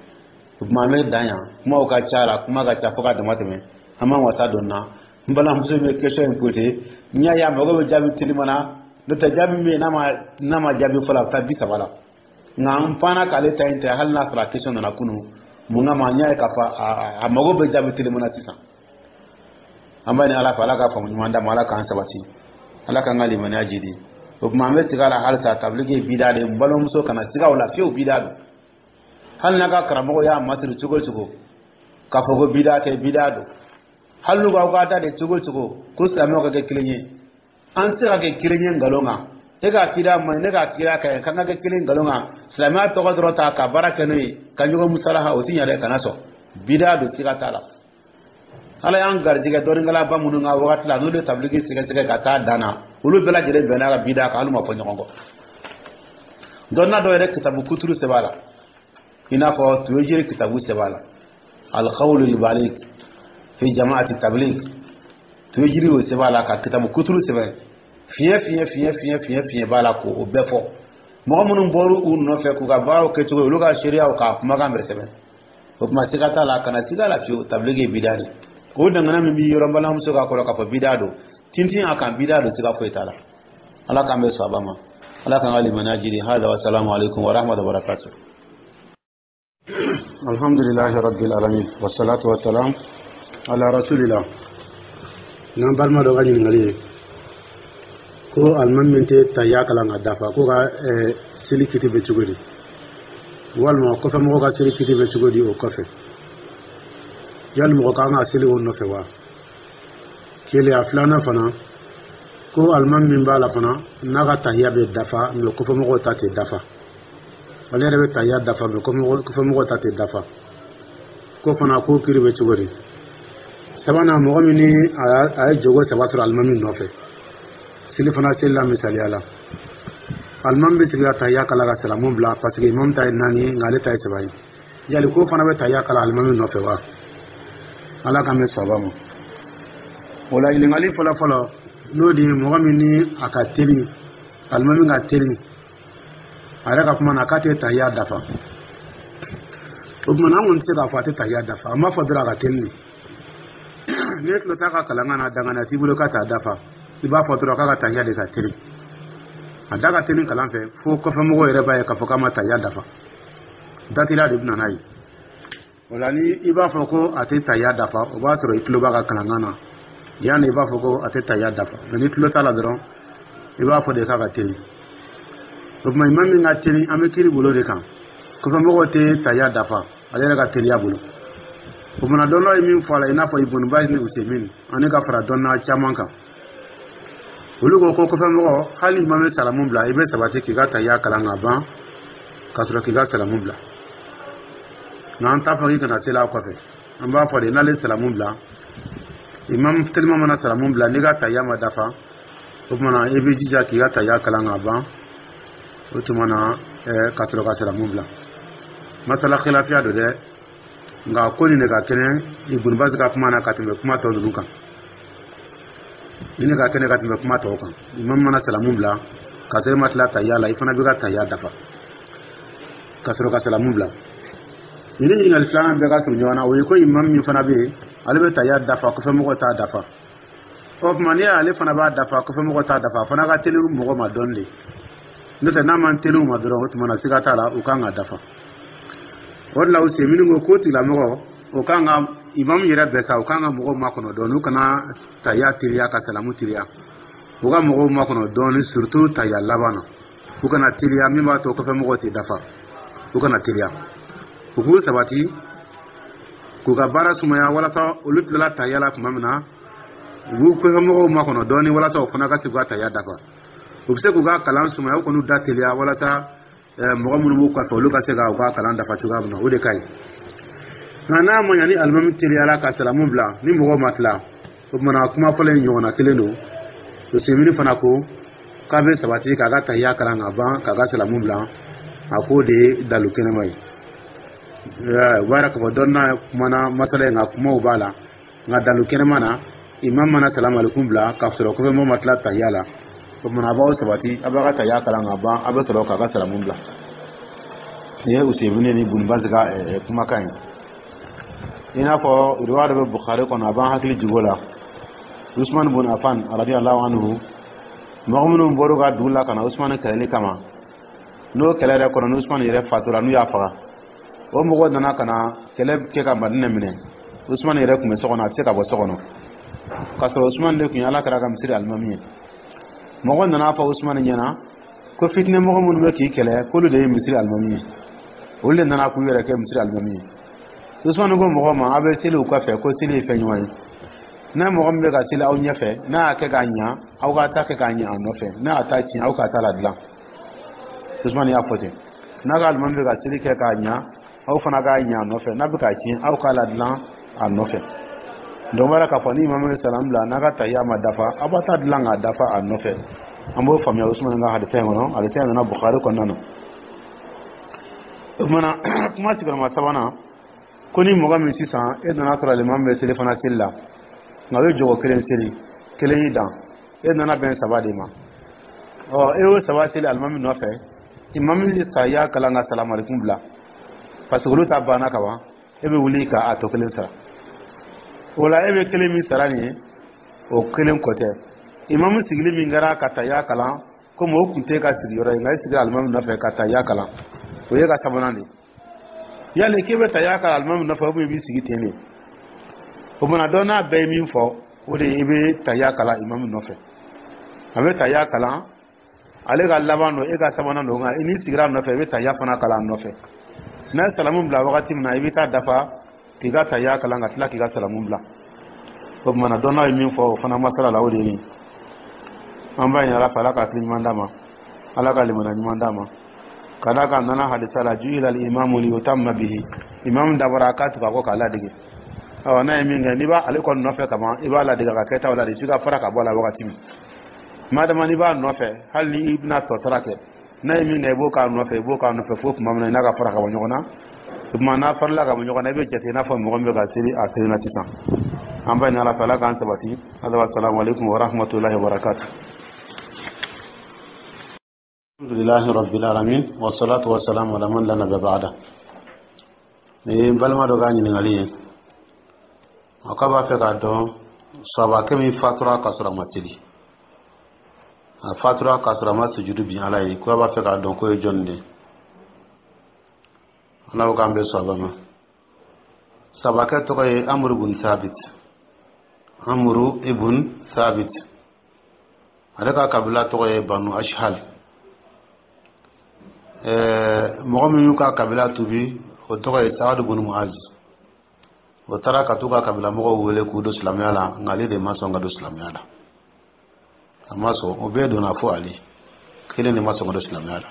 O tuma an bɛ dan yan. Kumaw ka ca la, kuma ka ca fo ka dama tɛmɛ. An b'an wasa don na. N balimamuso min bɛ question in posé, n y'a ye a mago bɛ jaabi teliman na. N'o tɛ, jaabi min bɛ yen, n'a ma jaabi fɔlɔ, a bɛ taa 30 la. Nka n panna k'ale ta in tɛ, hali n'a sɔrɔ a question nana kunun. Mun kama? N y'a ye k'a fɔ a mago bɛ jaabi teliman na sisan. An b'a ɲini Ala fɛ, Ala ka faamu ɲuman d'a ma, Ala k'an sabati, Ala k'an ka limaniya jidi. O tuma an bɛ segin a la halisa, tabiliki ye bida de ye. N balimamuso, kana siga o la fiyewu, bida don. Hali n'a ka karamɔgɔ y'a masiri cogo o cogo k'a fɔ ko bida tɛ, bida don. Hali n'u k'aw ka da de cogo o cogo ko silamɛw ka kɛ kelen ye, an tɛ se ka kɛ kelen ye nkalon kan. E ka akida man ɲi, ne ka akida ka ɲi, k'an ka kɛ kelen nkalon kan, silamɛya tɔgɔ dɔrɔn ta ka baara kɛ n'o ye ka ɲɔgɔn musalaha, o ti ɲɛ dɛ. Kana sɔn, bida don, siga t'a la. Ala y'an garijɛgɛ dɔnnikɛlaba minnu ka wagati la, n'olu ye tabiliki sɛgɛsɛgɛ ka taa dan na, olu bɛɛ lajɛlen bɛnna ka bida kan, hali ma fɔ ɲɔgɔn kɔ. Dɔnna dɔw yɛrɛ kitabu kuturu sɛbɛn a la, i n'a fɔ Tuyejiri kitabu sɛbɛn a la, Alqawlu Libalik fi Jamaati Tablik. Tuyejiri y'o sɛbɛn a la ka kitabu kuturu sɛbɛn, fiɲɛ fiɲɛ fiɲɛ fiɲɛ fiɲɛ fiɲɛ b'a la k'o bɛɛ fɔ. Mɔgɔ minnu bɔr'u u nɔfɛ k'u ka baaraw kɛcogo, olu ka seereyaw k'a kumakan bɛɛ sɛbɛn. O tuma siga t'a la, kana siga la fiyewu, tabiliki ye bida de. O dangana min b'i yɔrɔ, n balimamuso ka kɔrɔ k'a fɔ bida don, tintin a kan, bida don, siga foyi t'a la. Ala k'an bɛ sɔn a ma, Ala k'an ka limaniya jiri. Hada wa salamu alaikum wa rahmatullahi wa barakatuh. Alhamdulillahi rabbil alamin, wassalatu wassalam ala rasulillah. N'an balima dɔ ka ɲininkali ye ko alimami min tɛ tahiya kalan ka dafa, ko ka seli kiti bɛ cogo di, walima kɔfɛmɔgɔ ka seli kiti bɛ cogo di o kɔfɛ? Yali mɔgɔ kan ka seli o nɔfɛ wa? Kelen. A filanan fana, ko alimami min b'a la fana, n'a ka tahiya bɛ dafa, mɛ kɔfɛmɔgɔw ta tɛ dafa, ale yɛrɛ bɛ tahiya dafa, mɛ kɔfɛmɔgɔw ta tɛ dafa, ko fana ko kiri bɛ cogo di? Sabanan, mɔgɔ min ni a ye jogo saba sɔrɔ alimami nɔfɛ seli fana seli la, misaliya la, alimami bɛ sigi ka tahiya kala ka salamu bila, parce que imam ta ye naani ye, nka ale ta ye saba ye, yali ko fana bɛ tahiya kala alimami nɔfɛ wa? Ala k'an bɛ saba ma. O la, ɲininkali fɔlɔ fɔlɔ, n'o de ye mɔgɔ min ni a ka teli, alimami ka teli, a yɛrɛ ka kuma na k'a tɛ tahiya dafa. O tuma na, an kɔni tɛ se k'a fɔ a tɛ tahiya dafa. An b'a fɔ dɔrɔn a ka teli de. N'i tulo t'a ka kalankan na, danganiya t'i bolo k'a t'a dafa. I b'a fɔ dɔrɔn k'a ka tahiya de ka teli. A da ka teli kalan fɛ fo kɔfɛmɔgɔw yɛrɛ b'a ye k'a fɔ k'a ma tahiya dafa. Datila de bɛ na n'a ye. O la, ni i b'a fɔ ko a tɛ tahiya dafa, o b'a sɔrɔ i tulo b'a ka kalankan na. Yanni i b'a fɔ ko a tɛ tahiya dafa, mɛ ni tulo t'a la dɔrɔn, i b'a fɔ de k'a ka teli. O tuma imam min ka teli, an bɛ kiiri bolo de kan. Kɔfɛmɔgɔw tɛ tahiya dafa ale yɛrɛ ka teliya bolo. O fana, dɔnnaw ye min fɔ a la, i n'a fɔ Ibn Baz ni Usemin ani ka fara dɔnna caman kan, olu ko ko kɔfɛmɔgɔ, hali imam bɛ salamu bila, i bɛ sabati k'i ka tahiya kalan ka ban ka sɔrɔ k'i ka salamu bila. Nka an t'a fɔ k'i kana seli a kɔfɛ. An b'a fɔ de, n'ale salamu bila, imam telima mana salamu bila, n'i ka tahiya ma dafa, o tuma na i b'i jija k'i ka tahiya kalan ka ban, o tuma na ka sɔrɔ ka salamu bila. Masala khilafiya don dɛ, nka ko nin de ka kɛnɛ Ibn Baz ka kuma na ka tɛmɛ kuma tɔ ninnu kan. Nin de ka kɛnɛ ka tɛmɛ kuma tɔw kan. Imam mana salamu bila ka sɔrɔ i ma tila tahiya la, i fana b'i ka tahiya dafa ka sɔrɔ ka salamu bila. Nin ɲininkali filanan bɛɛ ka surun ɲɔgɔn na. O ye ko imam min fana bɛ yen, ale bɛ tahiya dafa, kɔfɛmɔgɔw t'a dafa. O tuma n'i y'ale fana b'a dafa, kɔfɛmɔgɔw t'a dafa, a fana ka teli mɔgɔ ma dɔɔni de. N'o tɛ, n'a man teli u ma dɔrɔn, o tuma na siga t'a la, u kan ka dafa. O de la, Usemini ko k'o tigilamɔgɔ, o kan ka imam yɛrɛ bɛɛ sa, o kan ka mɔgɔw makɔnɔ dɔɔni, u kana tahiya teliya ka salamu teliya, u ka mɔgɔw makɔnɔ dɔɔni, surtout tahiya laban na. U kana teliya min b'a to kɔfɛ mɔgɔw tɛ dafa. U kana teliya, u k'u sabati k'u ka baara sumaya, walasa olu tilala tahiya la tuma min na, u b'u kɔfɛ mɔgɔw makɔnɔ dɔɔni, walasa u fana ka se k'u ka tahiya dafa. U bɛ se k'u ka kalan sumaya, u kan'u da teliya, walasa mɔgɔ minnu b'u kɔfɛ, olu ka se ka u ka kalan dafa cogoya min na. O de ka ɲi. Nka n'a ma ɲa ni alimami teliyala ka salamu bila ni mɔgɔw ma tila, o tuma kuma fɔlɔ in ɲɔgɔnna kelen don. Usemini fana ko k'a bɛ sabati k'a ka tahiya kalan ka ban k'a ka salamu bila. A k'o de ye dalu kɛnɛma ye. O b'a yira k'a fɔ dɔnna kumana masala in kan, kumaw b'a la. Nka dalu kɛnɛma na, imam mana salamu alaikum bila k'a sɔrɔ kɔfɛ mɔgɔ ma tila tahiya la, o tuma a b'aw sabati, a b'a ka tahiya kalan ka ban, a bɛ sɔrɔ k'a ka salamu bila. Nin ye Usemini ni Bun Bazi ka kumakan ye. I n'a fɔ riwaya dɔ bɛ Bukhari kɔnɔ, a b'an hakili jigin o la. Usman bun Affan radiyallahu anhu, mɔgɔ minnu bɔr'u ka dugu la ka na Usman kɛlɛli kama, n'o kɛlɛ yɛrɛ kɔnɔ, ni Usman yɛrɛ fatura, n'u y'a faga, o mɔgɔw nana ka na kɛlɛ kɛ ka Madinɛ minɛ. Usman yɛrɛ tun bɛ so kɔnɔ, a tɛ se ka bɔ so kɔnɔ, k'a sɔrɔ Usman de tun ye Ala kira ka misiri alimami ye. Mɔgɔ nana fɔ Usman ɲɛna ko fitinɛ mɔgɔ minnu bɛ k'i kɛlɛ, k'olu de ye misiri alimami ye, olu de nana k'u yɛrɛ kɛ misiri alimami ye. Usman ko mɔgɔ ma, aw bɛ seli u kɔfɛ, ko seli ye fɛn ɲuman ye. N'a mɔgɔ min bɛ ka seli aw ɲɛfɛ, n'a y'a kɛ k'a ɲa, aw ka ta kɛ k'a ɲa a nɔfɛ. N'a y'a ta tiɲɛ, aw ka ta la dilan. Usman y'a fɔ ten: n'a ka alimami bɛ ka seli kɛ k'a ɲa, aw fana k'a ɲa a nɔfɛ. N'a bɛ k'a tiɲɛ, aw k'a la dilan a nɔfɛ. Donc b'a k'a fɔ ni imamu ye salam bila, n'a ka tahiya ma dafa, aw b'a ta dilan k'a dafa a nɔfɛ. An b'o faamuya Usman ka hadisa in kɔnɔ. Hadisa in nana Bukhari kɔnɔna na. O kumana, kuma sigiyɔrɔma sabanan ko ni mɔgɔ min sisan e nana sɔrɔ alimami bɛ seli fana seli la, nka o ye jɔgɔ kelen seli, kelen y'i dan, e nana bɛn saba de ma. Ɔ, e y'o saba seli alimami nɔfɛ, imamu ye tahiya kalan ka salamalekum bila, parce que olu ta banna ka ban, e bɛ wuli ka a tɔ kelen sara. O la, e bɛ kelen min sara nin ye, o kelen kɔ tɛ. Imamu sigili min kɛra ka tahiya kalan, komi o kun tɛ ka sigiyɔrɔ ye, nka e sigira alimami nɔfɛ ka tahiya kalan, o ye ka sabanan de ye. Yali k'e bɛ tahiya kalan alimami nɔfɛ, ou bien i b'i sigi ten de? O mana dɔn n'a bɛɛ ye min fɔ, o de ye i bɛ tahiya kalan imamu nɔfɛ. A bɛ tahiya kalan, ale ka laban don, e ka sabanan don. Nka n'i sigira a nɔfɛ, i bɛ tahiya fana kalan a nɔfɛ. N'a ye salamu bila wagati min na, i bɛ taa dafa k'i ka tahiya kalan ka tila k'i ka salamu bila. O tuma na, dɔnnaw ye min fɔ o fana masala la, o de ye nin. An b'a ɲini Ala fɛ, Ala ka hakili ɲuman d'a ma, Ala ka limaniya ɲuman d'a ma. Ka d'a kan nana hadisa la: ju'ila al-imamu liyutamma bihi. Imamu dabɔra a k'a tugu a kɔ k'a ladege. Ɔ, n'a ye min kɛ, n'i b'a ale kɔni nɔfɛ ka ban, i b'a ladege a ka kɛtaw la de, f'i ka fara ka bɔ a la wagati min. Madama n'i b'a nɔfɛ, hali ni i bɛna tɔ sara kɛ, n'a ye min kɛ, i b'o k'a nɔfɛ, i b'o k'a nɔfɛ fo tuma min na i n'a ka fara ka bɔ ɲɔgɔn na. O tuma n'a farala ka bɔ ɲɔgɔn na, i bɛ jate i n'a fɔ mɔgɔ min bɛ ka seli a kelen na sisan. An b'a ɲini Ala fɛ, Ala k'an sabati. Assalamu alaikum wa rahmatullahi wa barakatuh. Alhamdulillahi rabbil alamin, wa salatu wa salam ala man la nabiyya ba'da. Ni ye n balima dɔ ka ɲininkali ye. A k'a b'a fɛ k'a dɔn, sahabakɛ min fatura k'a sɔrɔ a ma seli, a fatura k'a sɔrɔ a ma sujudu bin Ala ye, ko a b'a fɛ k'a dɔn k'o ye jɔnni de ye. Ala ko k'an bɛ sɔrɔ ma. Sahabakɛ tɔgɔ ye Amuru bun Sabit, Amuru ibn Sabit. Ale ka kabila tɔgɔ ye Banu Ashhal. Mɔgɔ min y'u ka kabila tubi, o tɔgɔ ye Saadu bun Muaz. O taara ka t'u ka kabila mɔgɔw wele k'u don silamɛya la, nka ale de ma sɔn ka don silamɛya la. A ma sɔn. O bɛɛ donna fo ale kelen de ma sɔn ka don silamɛya la.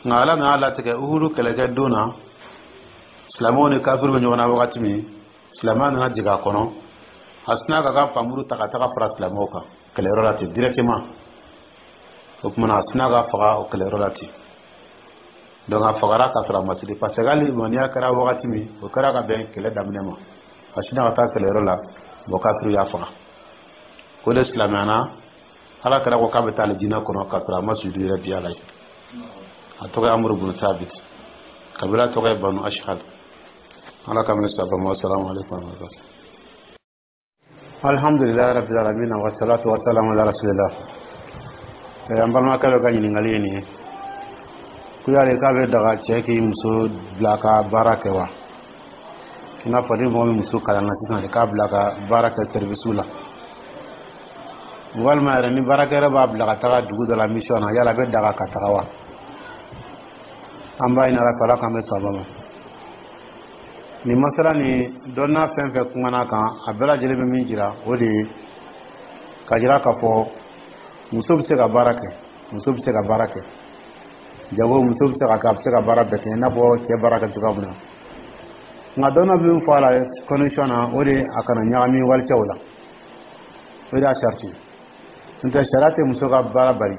Nka Ala nana latigɛ, Uhudu kɛlɛkɛ don na, silamɛw ni kafiriw bɛ ɲɔgɔn na wagati min, silamɛya nana jigin a kɔnɔ. A sina ka ka npanmuru ta ka taga fara silamɛw kan kɛlɛyɔrɔ la ten directement. O tuma a sina ka faga o kɛlɛyɔrɔ la ten. Donc a fagara k'a sɔrɔ a ma seli, parce que hali limaniya kɛra wagati min, o kɛra ka bɛn kɛlɛ daminɛ ma. A sina ka taa kɛlɛyɔrɔ la, bon, kafiriw y'a faga. O de silamɛyana, Ala kɛra ko k'a bɛ taa alijinɛ kɔnɔ k'a sɔrɔ a ma sujudu yɛrɛ bi Ala ye. A tɔgɔ ye Amuru bun Sabit, kabila tɔgɔ ye Banu Ashhal. Ala ka mɛn saba ma. Assalamu alaikum wa rahmatullahi. Alhamdulilayi rabbil alamin, wa salatu wa salam ala rasulillah. An balimakɛ dɔ ka ɲininkali ye nin ye, ko yali k'a bɛ daga cɛ k'i muso bila ka baara kɛ wa? I n'a fɔ ni mɔgɔ min muso kalanna sisan de, k'a bila ka baara kɛ service la. Walima yɛrɛ, ni baarakɛyɔrɔ b'a bila ka taga dugu dɔ la mission na, yala a bɛ daga ka taga wa? An b'a ɲini Ala fɛ, Ala k'an bɛ sababa ma. Nin masala nin, dɔnniya fɛn fɛn kumana kan, a bɛɛ lajɛlen bɛ min jira, o de ye ka jira k'a fɔ muso bɛ se ka baara kɛ, muso bɛ se ka baara kɛ jago, muso bɛ se ka kɛ, a bɛ se ka baara bɛɛ kɛ i n'a fɔ cɛ baara kɛ cogoya min na. Nka dɔnniya bɛ min fɔ a la condition na, o de ye a kana ɲagami walicɛw la, o de y'a sariti. N'o tɛ, sariya tɛ muso ka baara bali,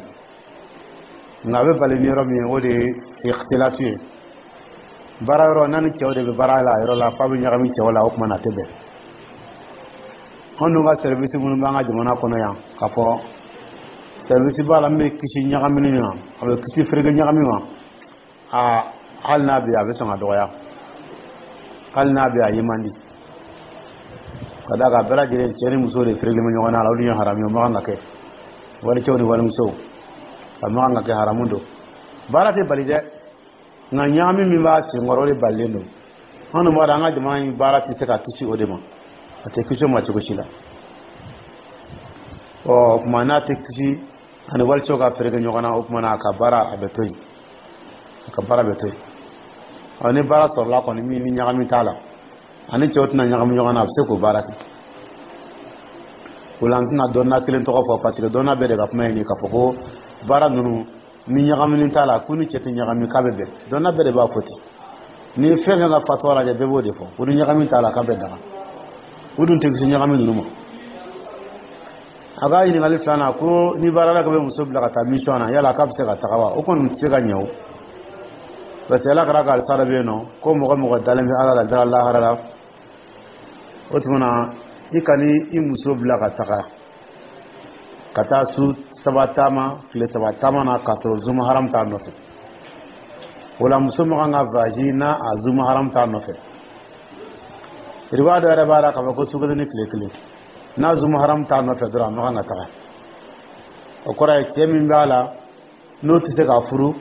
nka a bɛ bali ni yɔrɔ min ye, o de ye ikhtilatu ye. Baara yɔrɔ n'a ni cɛw de bɛ baara la a yɔrɔ la, f'a bɛ ɲagami cɛw la, o tuma na a tɛ bɛn. Anw dun ka service minnu b'an ka jamana kɔnɔ yan, k'a fɔ service b'a la min bɛ kisi ɲagamini ma, a bɛ kisi fereke ɲagami ma, a hali n'a bɛ yen, a bɛ sɔn ka dɔgɔya. Hali n'a bɛ yen, a ye man di, ka d'a kan bɛɛ lajɛlen, cɛ ni muso de fereke bɛ ɲɔgɔn na la. Olu ye haramu ye, o man kan ka kɛ. Walicɛw ni walimusow, a man kan ka kɛ, haramu don. Baara tɛ bali dɛ, nka ɲagami min b'a senkɔrɔ, o de balilen don. Anw dun b'a dɔn, an ka jamana in baara tɛ se ka kisi o de ma, a tɛ kisi o ma cogo si la. Ɔ, o tuma n'a tɛ kisi ani walicɛw ka fereke ɲɔgɔn na, o tuma na a ka baara, a bɛ to yen, a ka baara bɛ to yen. Ɔ, ni baara sɔrɔla kɔni min ni ɲagami t'a la, ani cɛw tɛna ɲagami ɲɔgɔn na, a bɛ se k'o baara kɛ. O la, n tɛna dɔnniya kelen tɔgɔ fɔ, parce que dɔnniya bɛɛ de ka kuma ye nin, k'a fɔ ko baara ninnu ni ɲagamini t'a la, ko ni cɛ tɛ ɲagami, k'a bɛ bɛn. Dɔnniya bɛɛ de b'a fɔ ten. Ni ye fɛn fɛn ka fatuwa lajɛ, bɛɛ b'o de fɔ, ko ni ɲagami t'a la, k'a bɛ daga. O dun tɛ kisi ɲagami ninnu ma. A ka ɲininkali filanan, ko ni baarala bɛ muso bila ka taa mission na, yala k'a bɛ se ka taga wa? O kɔni tɛ se ka ɲɛ o, parce que Ala kɛra ka alisa dɔ bɛ yen nɔ ko mɔgɔ mɔgɔ dalen bɛ Ala la, dara lahara la, o tuma na i kan'i i muso bila ka taga ka taa su 3 taama, tile 3 taama na, k'a sɔrɔ zuma haram t'a nɔfɛ. O la, muso ma kan ka voyage n'a a zuma haram t'a nɔfɛ. Riwaya dɔ yɛrɛ b'a la k'a fɔ ko su 1 ni tile 1, n'a zuma haram t'a nɔfɛ dɔrɔn, a ma kan ka taga. O kɔrɔ ye, cɛ min b'a la, n'o tɛ se k'a furu,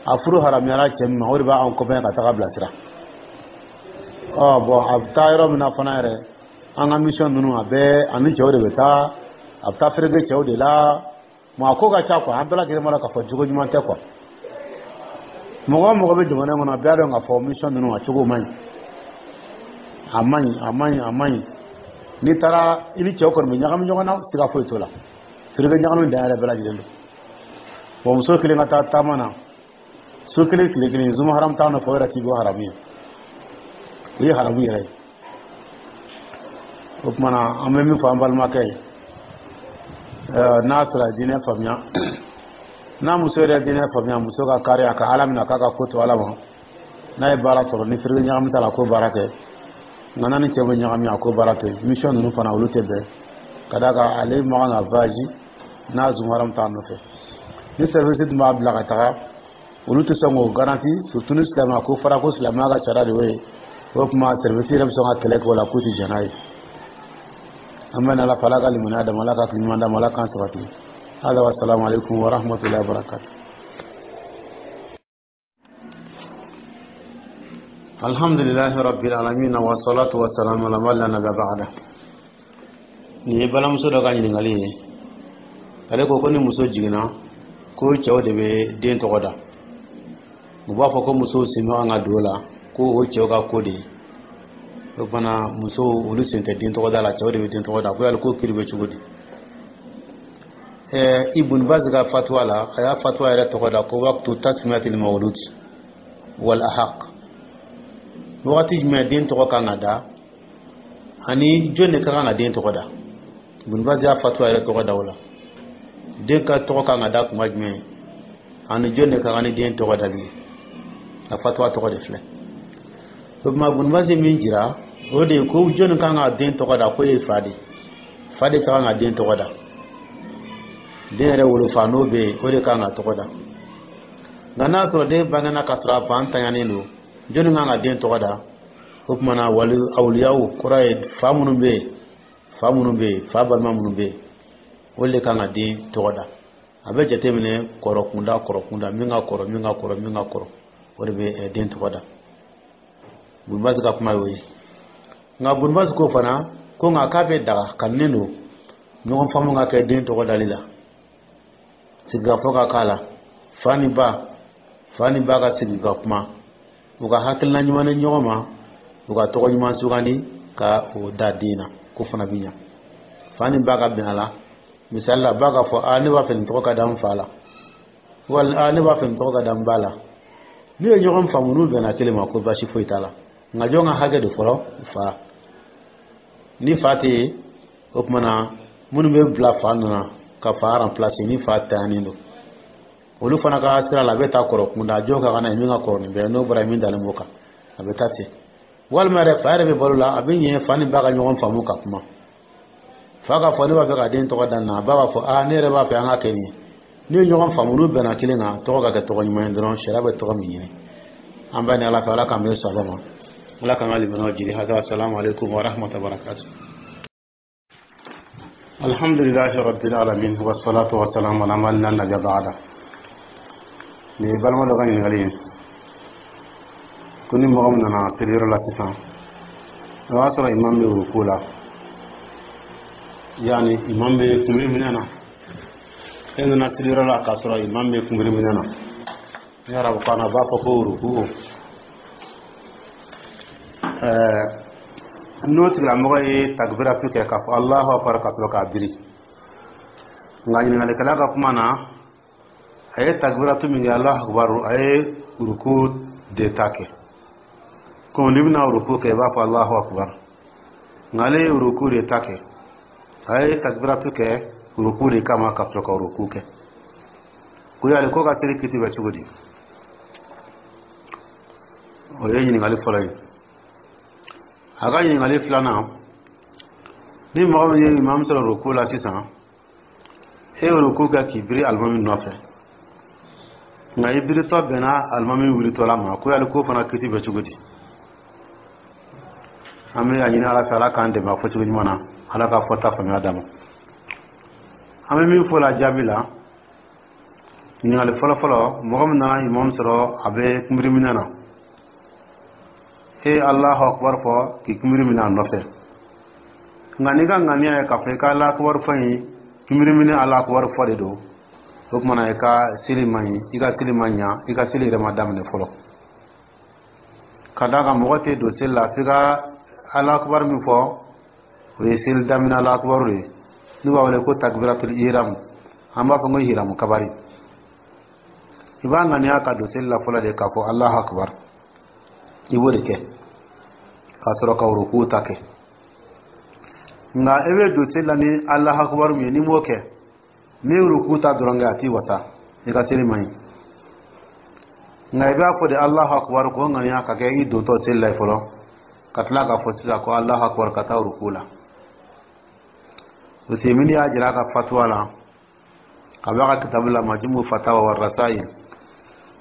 a furu haramuyara cɛ min ma, o de b'a accompagner ka taga bilasira. Ɔ bɔn, a bɛ taa yɔrɔ min na fana yɛrɛ, an ka mission ninnu, a bɛɛ ani cɛw de bɛ taa, a bɛ taa fereke cɛw de la. Bon, a ko ka ca quoi. An bɛɛ lajɛlen b'a dɔn k'a fɔ jogo ɲuman tɛ quoi. Mɔgɔ o mɔgɔ bɛ jamana in kɔnɔ, a bɛɛ b'a dɔn k'a fɔ mission ninnu, a cogo man ɲi, a man ɲi, a man ɲi, a man ɲi. N'i taara, i ni cɛw kɔni bɛ ɲagami ɲɔgɔn na, siga foyi t'o la. Fereke ɲagami dan yɛrɛ, bɛɛ lajɛlen don. Bon, muso kelen ka taa taama na su 1 tile 1, zuma haram t'a nɔfɛ, o yɛrɛ t'i bɔ haramu ye, o ye haramu yɛrɛ ye. O tuma na, an bɛ min fɔ an balimakɛ ye, n'a sɔrɔ a diinɛ faamuya, n'a muso yɛrɛ diinɛ faamuya, muso ka kari a ka Ala minɛ, k'a ka ko to Ala ma. N'a ye baara sɔrɔ ni fereke ɲagami t'a la, k'o baara kɛ. Nka n'a ni cɛ bɛ ɲagami, a k'o baara to yen. Mission ninnu fana, olu tɛ bɛn, ka d'a kan ale man kan ka voyage n'a zuma haram t'a nɔfɛ. Ni service tun b'a bila ka taga, olu tɛ sɔn k'o garanti, surtout ni silamɛya ko fɔra, ko silamɛya ka sariya de y'o ye. O tuma service yɛrɛ bɛ sɔn ka kɛlɛ kɛ o la, k'u tɛ jɛn n'a ye. An bɛ Ala fɛ, Ala ka limaniya d'a ma, Ala ka hakili ɲuman d'a ma, Ala k'an sabati. Hada wa salamu alaikum wa rahmatullahi wa barakatuh. Alhamdulillahi rabbil alamin, wa salatu wa salamu ala man la nabiyya ba'da. Nin ye balimamuso dɔ ka ɲininkali ye. Ale ko ko ni muso jiginna, ko cɛw de bɛ den tɔgɔ da. U b'a fɔ ko musow sen man kan ka don o la, ko o cɛw ka ko de ye. O fana, musow olu sen tɛ den tɔgɔ da la, cɛw de bɛ den tɔgɔ da. Ko yali ko kiri bɛ cogo di? Ibn Baz ka fatuwa la, a y'a fatuwa yɛrɛ tɔgɔ da ko waqtu tasmiyatil mawlud wal ahaq, wagati jumɛn den tɔgɔ kan ka da ani jɔn de ka kan ka den tɔgɔ da. Ibn Baz y'a fatuwa yɛrɛ tɔgɔ da o la, den ka tɔgɔ kan ka da kuma jumɛn ani jɔn de ka kan ni den tɔgɔ dali ye, a fatuwa tɔgɔ de filɛ. O tuma, Ibn Baz min jira, o de ye ko jɔnni kan ka den tɔgɔ da, k'o ye fa de, fa de ka kan ka den tɔgɔ da. Den yɛrɛ wolofa, n'o bɛ yen, o de kan ka tɔgɔ da. Nka n'a sɔrɔ den bangena ka sɔrɔ a fa ntanyanen don, jɔnni kan ka den tɔgɔ da? O tuma na, wali awliyaw kɔrɔ ye fa minnu bɛ yen, fa minnu bɛ yen, fa balima minnu bɛ yen, olu de kan ka den tɔgɔ da. A bɛ jateminɛ kɔrɔ kunda, kɔrɔ kunda, min ka kɔrɔ, min ka kɔrɔ, min ka kɔrɔ, o de bɛ den tɔgɔ da. Ibn Baz ka kuma y'o ye. Nka Ibn Baz ko fana ko nka k'a bɛ daga kanunen don. Ɲɔgɔn faamu ka kɛ den tɔgɔ dali la, sigikafɔ ka k'a la, fa ni ba ka sigi ka kuma, u ka hakilina ɲuman ni ɲɔgɔn ma, u ka tɔgɔ ɲuman sugandi ka o da den na, ko fana bɛ ɲa. Fa ni ba ka bɛn a la. Misali la, ba ka fɔ: "Aa, ne b'a fɛ nin tɔgɔ ka da n fa la," wali: "Aa, ne b'a fɛ nin tɔgɔ ka da n ba la." N'u ye ɲɔgɔn faamu, n'u bɛnna kelen ma, ko baasi foyi t'a la. Nka jɔn ka hakɛ de fɔlɔ? Fa. Ni fa tɛ yen, o tuma na minnu bɛ bila fa nɔ na ka fa remplacer ni fa tayanen don, olu fana ka sira la, a bɛ taa kɔrɔ kunda. Jɔn ka na ye min ka kɔrɔ nin bɛɛ, n'o bɔra min dalen b'o kan, a bɛ taa ten. Walima yɛrɛ, fa yɛrɛ bɛ balo la, a bɛ ɲɛ fa ni ba ka ɲɔgɔn faamu ka kuma. Fa k'a fɔ: "Ne b'a fɛ ka den tɔgɔ da nin na." Ba b'a fɔ: "Aa, ne yɛrɛ b'a fɛ an ka kɛ nin ye." N'u ye ɲɔgɔn faamu, n'u bɛnna kelen kan, tɔgɔ ka kɛ tɔgɔ ɲuman ye dɔrɔn, sariya bɛ tɔgɔ min ɲini. An b'a ni Ala fɛ, Ala k'an bɛn saba ma, Ala k'an ka limaniyaw jiri. Hada, assalamu alaikum wa rahmatullahi wa barakatuh. Alhamdulillahi rabbil alamin, wassalatu wassalamu ala man la nabiyya ba'da. Nin ye balima dɔ ka ɲininkali ye ko ni mɔgɔ min nana seliyɔrɔ la sisan, o y'a sɔrɔ imam bɛ ruku la, yani imam bɛ kunbiri minɛ na. E nana seliyɔrɔ la k'a sɔrɔ imam bɛ kunbiri minɛ na, ni arabukan na a b'a fɔ ko ruku. N'o tigilamɔgɔ ye takbiratu kɛ k'a fɔ Allahu akbar ka sɔrɔ k'a biri, nka ɲininkalikɛla ka kuma na, a ye takbiratu min kɛ, Allahu akbar, a ye ruku de ta kɛ. Komi n'i bɛna ruku kɛ, i b'a fɔ Allahu akbar, nka ale ye ruku de ta kɛ. A ye takbiratu kɛ ruku de kama ka sɔrɔ ka ruku kɛ. Ko yali ko ka seli kiti bɛ cogo di? O ye ɲininkali fɔlɔ ye. A ka ɲininkali filanan, ni mɔgɔ min ye imam sɔrɔ ruku la sisan, e ye ruku kɛ k'i biri alimami nɔfɛ, nka i biritɔ bɛnna alimami wulitɔla ma, ko yali k'o fana kiti bɛ cogo di? An bɛ a ɲini Ala fɛ, Ala k'an dɛmɛ a fɔcogo ɲuman na, Ala ka fɔta faamuya d'a ma. An bɛ min fɔ la jaabi la, ɲininkali fɔlɔ-fɔlɔ, mɔgɔ min nana imam sɔrɔ a bɛ kunbiri minɛ na, e ye Alahu akubar fɔ k'i kunbiri minɛ a nɔfɛ, nka n'i ka ŋaniya ye k'a fɔ i ka Alahu akubar fɔ in, kunbiri minɛ Alahu akubar fɔ de don, o tuma na i ka seli man ɲi, i ka seli man ɲa, i ka seli yɛrɛ ma daminɛ fɔlɔ. Ka d'a kan mɔgɔ tɛ don seli la f'i ka Alahu akubar min fɔ, o ye seli daminɛ Alahu akubar de ye, n'u b'a wele ko takbiratul ihram, an b'a fɔ ko hiramu kabari. I b'a ŋaniya ka don seli la fɔlɔ de k'a fɔ Alahu akubar, i b'o de kɛ ka sɔrɔ ka ruku ta kɛ. Nka i bɛ don seli la ni Alahu akubar min ye, n'i m'o kɛ, n'i ye ruku ta dɔrɔn kɛ, a t'i wasa, i ka seli man ɲi. Nka i b'a fɔ de Alahu akubar, k'o ŋaniya ka kɛ i dontɔ seli la fɔlɔ, ka tila k'a fɔ sisan ko Alahu akubar ka taa ruku la. Usemini y'a jira a ka fatuwa la, a b'a ka kitabu la, Majumu Fatawa wa Rasail,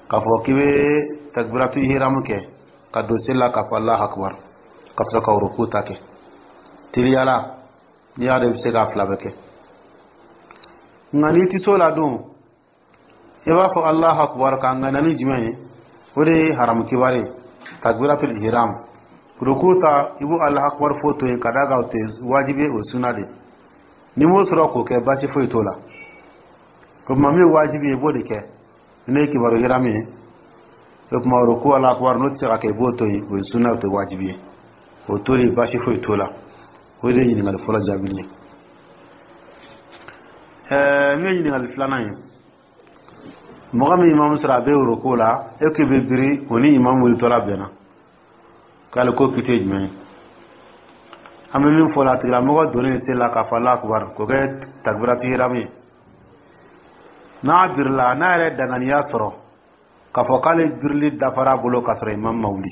k'a fɔ k'i bɛ takbiratu ihram kɛ ka don seli la k'a fɔ Alahu akubar ka sɔrɔ ka ruku ta kɛ. Teliyala, n'i y'a dɔn i bɛ se k'a fila bɛɛ kɛ. Nka n'i tɛ s'o la dun, i b'a fɔ Alahu akubar k'a ŋaniya ni jumɛn ye? O de ye haramu kibari ye, takbiratul ihram. Ruku ta, i b'o Alahu akubar fɔ to yen, ka d'a kan o tɛ wajibi ye, o suna de. N'i m'o sɔrɔ k'o kɛ, baasi foyi t'o la. O tuma min ye wajibi ye, i b'o de kɛ. N'o ye kibaru hiramu ye, o tuma ruku Alahu akubar, n'o tɛ se ka kɛ, i b'o to yen, o ye suna, o tɛ wajibi ye. O to yen, baasi foyi t'o la. O de ye ɲininkali fɔlɔ jaabi ye. Min ye ɲininkali filanan ye, mɔgɔ min imamu sɔrɔ a bɛ ruku la, e k'i bɛ biri o ni imamu wulitɔla bɛnna, k'ale ko kiti ye jumɛn ye? An bɛ min fɔ la, a tigilamɔgɔ donnen seli la k'a fɔ Alahu akubar, k'o kɛ takbiratu ihram ye, n'a birila, n'a yɛrɛ danganiya sɔrɔ k'a fɔ k'ale birili dafara a bolo k'a sɔrɔ imam ma wuli,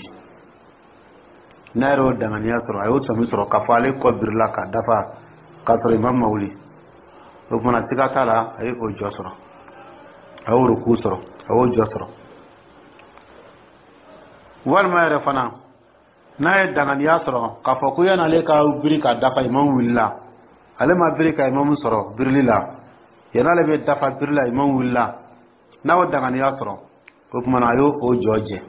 n'a yɛrɛ y'o danganiya sɔrɔ, a y'o sɔmi sɔrɔ k'a fɔ ale kɔ birila ka dafa k'a sɔrɔ imam ma wuli, o tuma siga t'a la, a ye o jɔ sɔrɔ, a y'o ruku sɔrɔ, a y'o jɔ sɔrɔ. Walima yɛrɛ fana, n'a ye danganiya sɔrɔ k'a fɔ ko yan'ale ka biri ka dafa, imam wulila, ale ma biri ka imam sɔrɔ birili la, yan'ale bɛ dafa biri la, imam wulila, n'a y'o danganiya sɔrɔ, o tuma na a y'o o jɔ jɛ.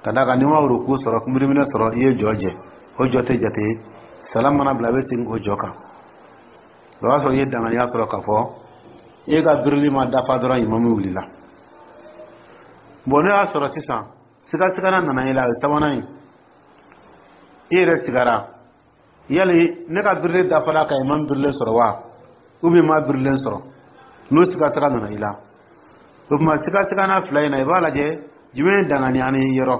Ka d'a kan n'i ma ruku sɔrɔ, kunbiriminɛ sɔrɔ, i ye jɔ jɛ, o jɔ tɛ jate. Salam mana bila, a bɛ segin o jɔ kan. O y'a sɔrɔ i ye danganiya sɔrɔ k'a fɔ e ka birili ma dafa dɔrɔn, imamu wulila. Bon, n'o y'a sɔrɔ sisan sigasigana nana i la, o ye sabanan ye. I yɛrɛ sigara yali ne ka birili dafara ka imamu birilen sɔrɔ wa, ou bien ma birilen sɔrɔ? N'o sigasiga nana i la, o tuma sigasigana fila in na, i b'a lajɛ jumɛn ye danganiya ni yɔrɔ,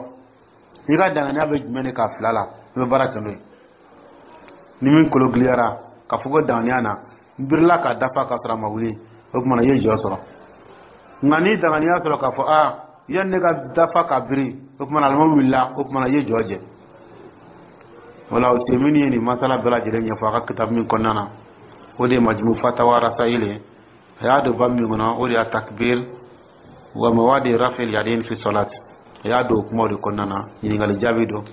i ka danganiya bɛ jumɛn de ka fila la, i bɛ baara kɛ n'o ye. Ni min kolo giliyara ka fɔ ko danganiya na n birila ka dafa ka sɔrɔ a ma wuli, o tuma na i ye jɔ sɔrɔ. Nka ni danganiya sɔrɔ k'a fɔ aa, yanni ne ka dafa ka biri, o tuma na alimami wulila, o tuma na i ye jɔ jɛ. Wala Usemini ye nin masala bɛɛ lajɛlen ɲɛfɔ a ka kitabu min kɔnɔna na, o de ye Majmu Fatawa Rasail ye. A y'a don ba min kɔnɔ, o de y'a takbir wa mawadi rafil yadin fi salat. A y'a don o kumaw de kɔnɔna na, ɲininkali jaabi don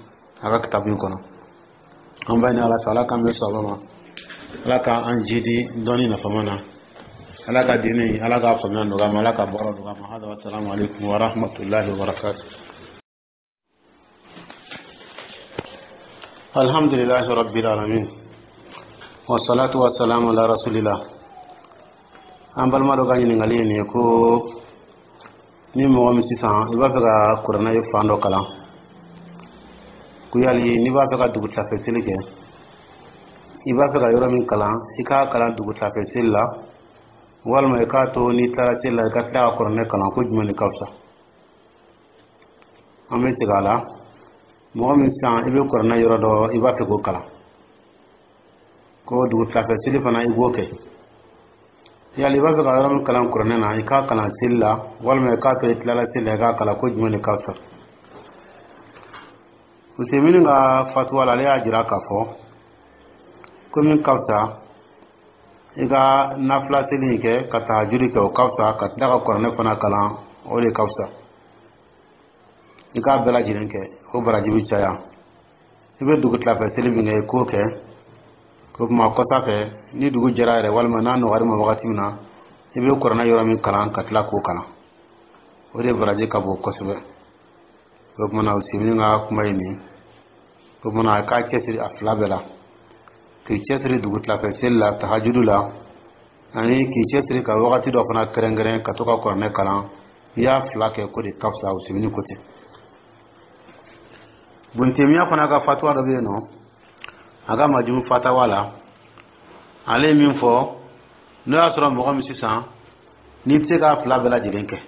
a ka kitabu in kɔnɔ. An b'a ɲini Ala fɛ, Ala k'an bɛ sɔn ma, Ala k'an jidi dɔnni nafama na, Ala ka diinɛ, Ala k'a faamuya nɔgɔya ma, Ala ka baara nɔgɔya ma. Hada, wa salamu alaikum wa rahmatullahi wa barakatuh. Alhamdulillahi rabbil alamin, wa salatu wa salamu ala rasulillah. An balima dɔ ka ɲininkali ye nin ye ko ni mɔgɔ min sisan i b'a fɛ ka kuranɛ ye fan dɔ kalan, ko yali n'i b'a fɛ ka dugutilafɛ seli kɛ, i b'a fɛ ka yɔrɔ min kalan, i k'a kalan dugutilafɛ seli la, walima i k'a to n'i tilara seli la, i ka tila ka kuranɛ kalan, ko jumɛn de ka fisa? An bɛ segin a la. Mɔgɔ min sisan i bɛ kuranɛ yɔrɔ dɔ, i b'a fɛ k'o kalan, ko dugutilafɛ seli fana i b'o kɛ, yali i b'a fɛ ka yɔrɔ min kalan kuranɛ na, i k'a kalan seli la, walima i k'a to i tilala seli la, i k'a kalan, ko jumɛn de ka fisa? Usemini ka fatuwa la, ale y'a jira k'a fɔ ko min ka fisa, i ka nafila seli in kɛ ka tahajudi kɛ, o ka fisa ka tila ka kuranɛ fana kalan, o de ka fisa. I k'a bɛɛ lajɛlen kɛ, o baraji bɛ caya. I bɛ dugutilafɛ seli min kɛ, i k'o kɛ. O tuma kɔsa fɛ, ni dugu jɛra yɛrɛ, walima n'a nɔgɔyara ma wagati min na, i bɛ kuranɛ yɔrɔ min kalan, ka tila k'o kalan, o de baraji ka bon kosɛbɛ. O tuma na Usemini ka kuma ye nin. O tuma na a k'a cɛsiri a fila bɛɛ la, k'i cɛsiri dugutilafɛ seli la, tahajudu la, ani k'i cɛsiri ka wagati dɔ fana kɛrɛnkɛrɛn ka to ka kuranɛ kalan. I y'a fila kɛ, ko de ka fisa. Usemini ko ten. Buntemiya fana ka fatuwa dɔ bɛ yen nɔ, a ka Majumu Fatawa la, ale ye min fɔ, n'o y'a sɔrɔ mɔgɔ min sisan n'i tɛ se k'a fila bɛɛ lajɛlen kɛ,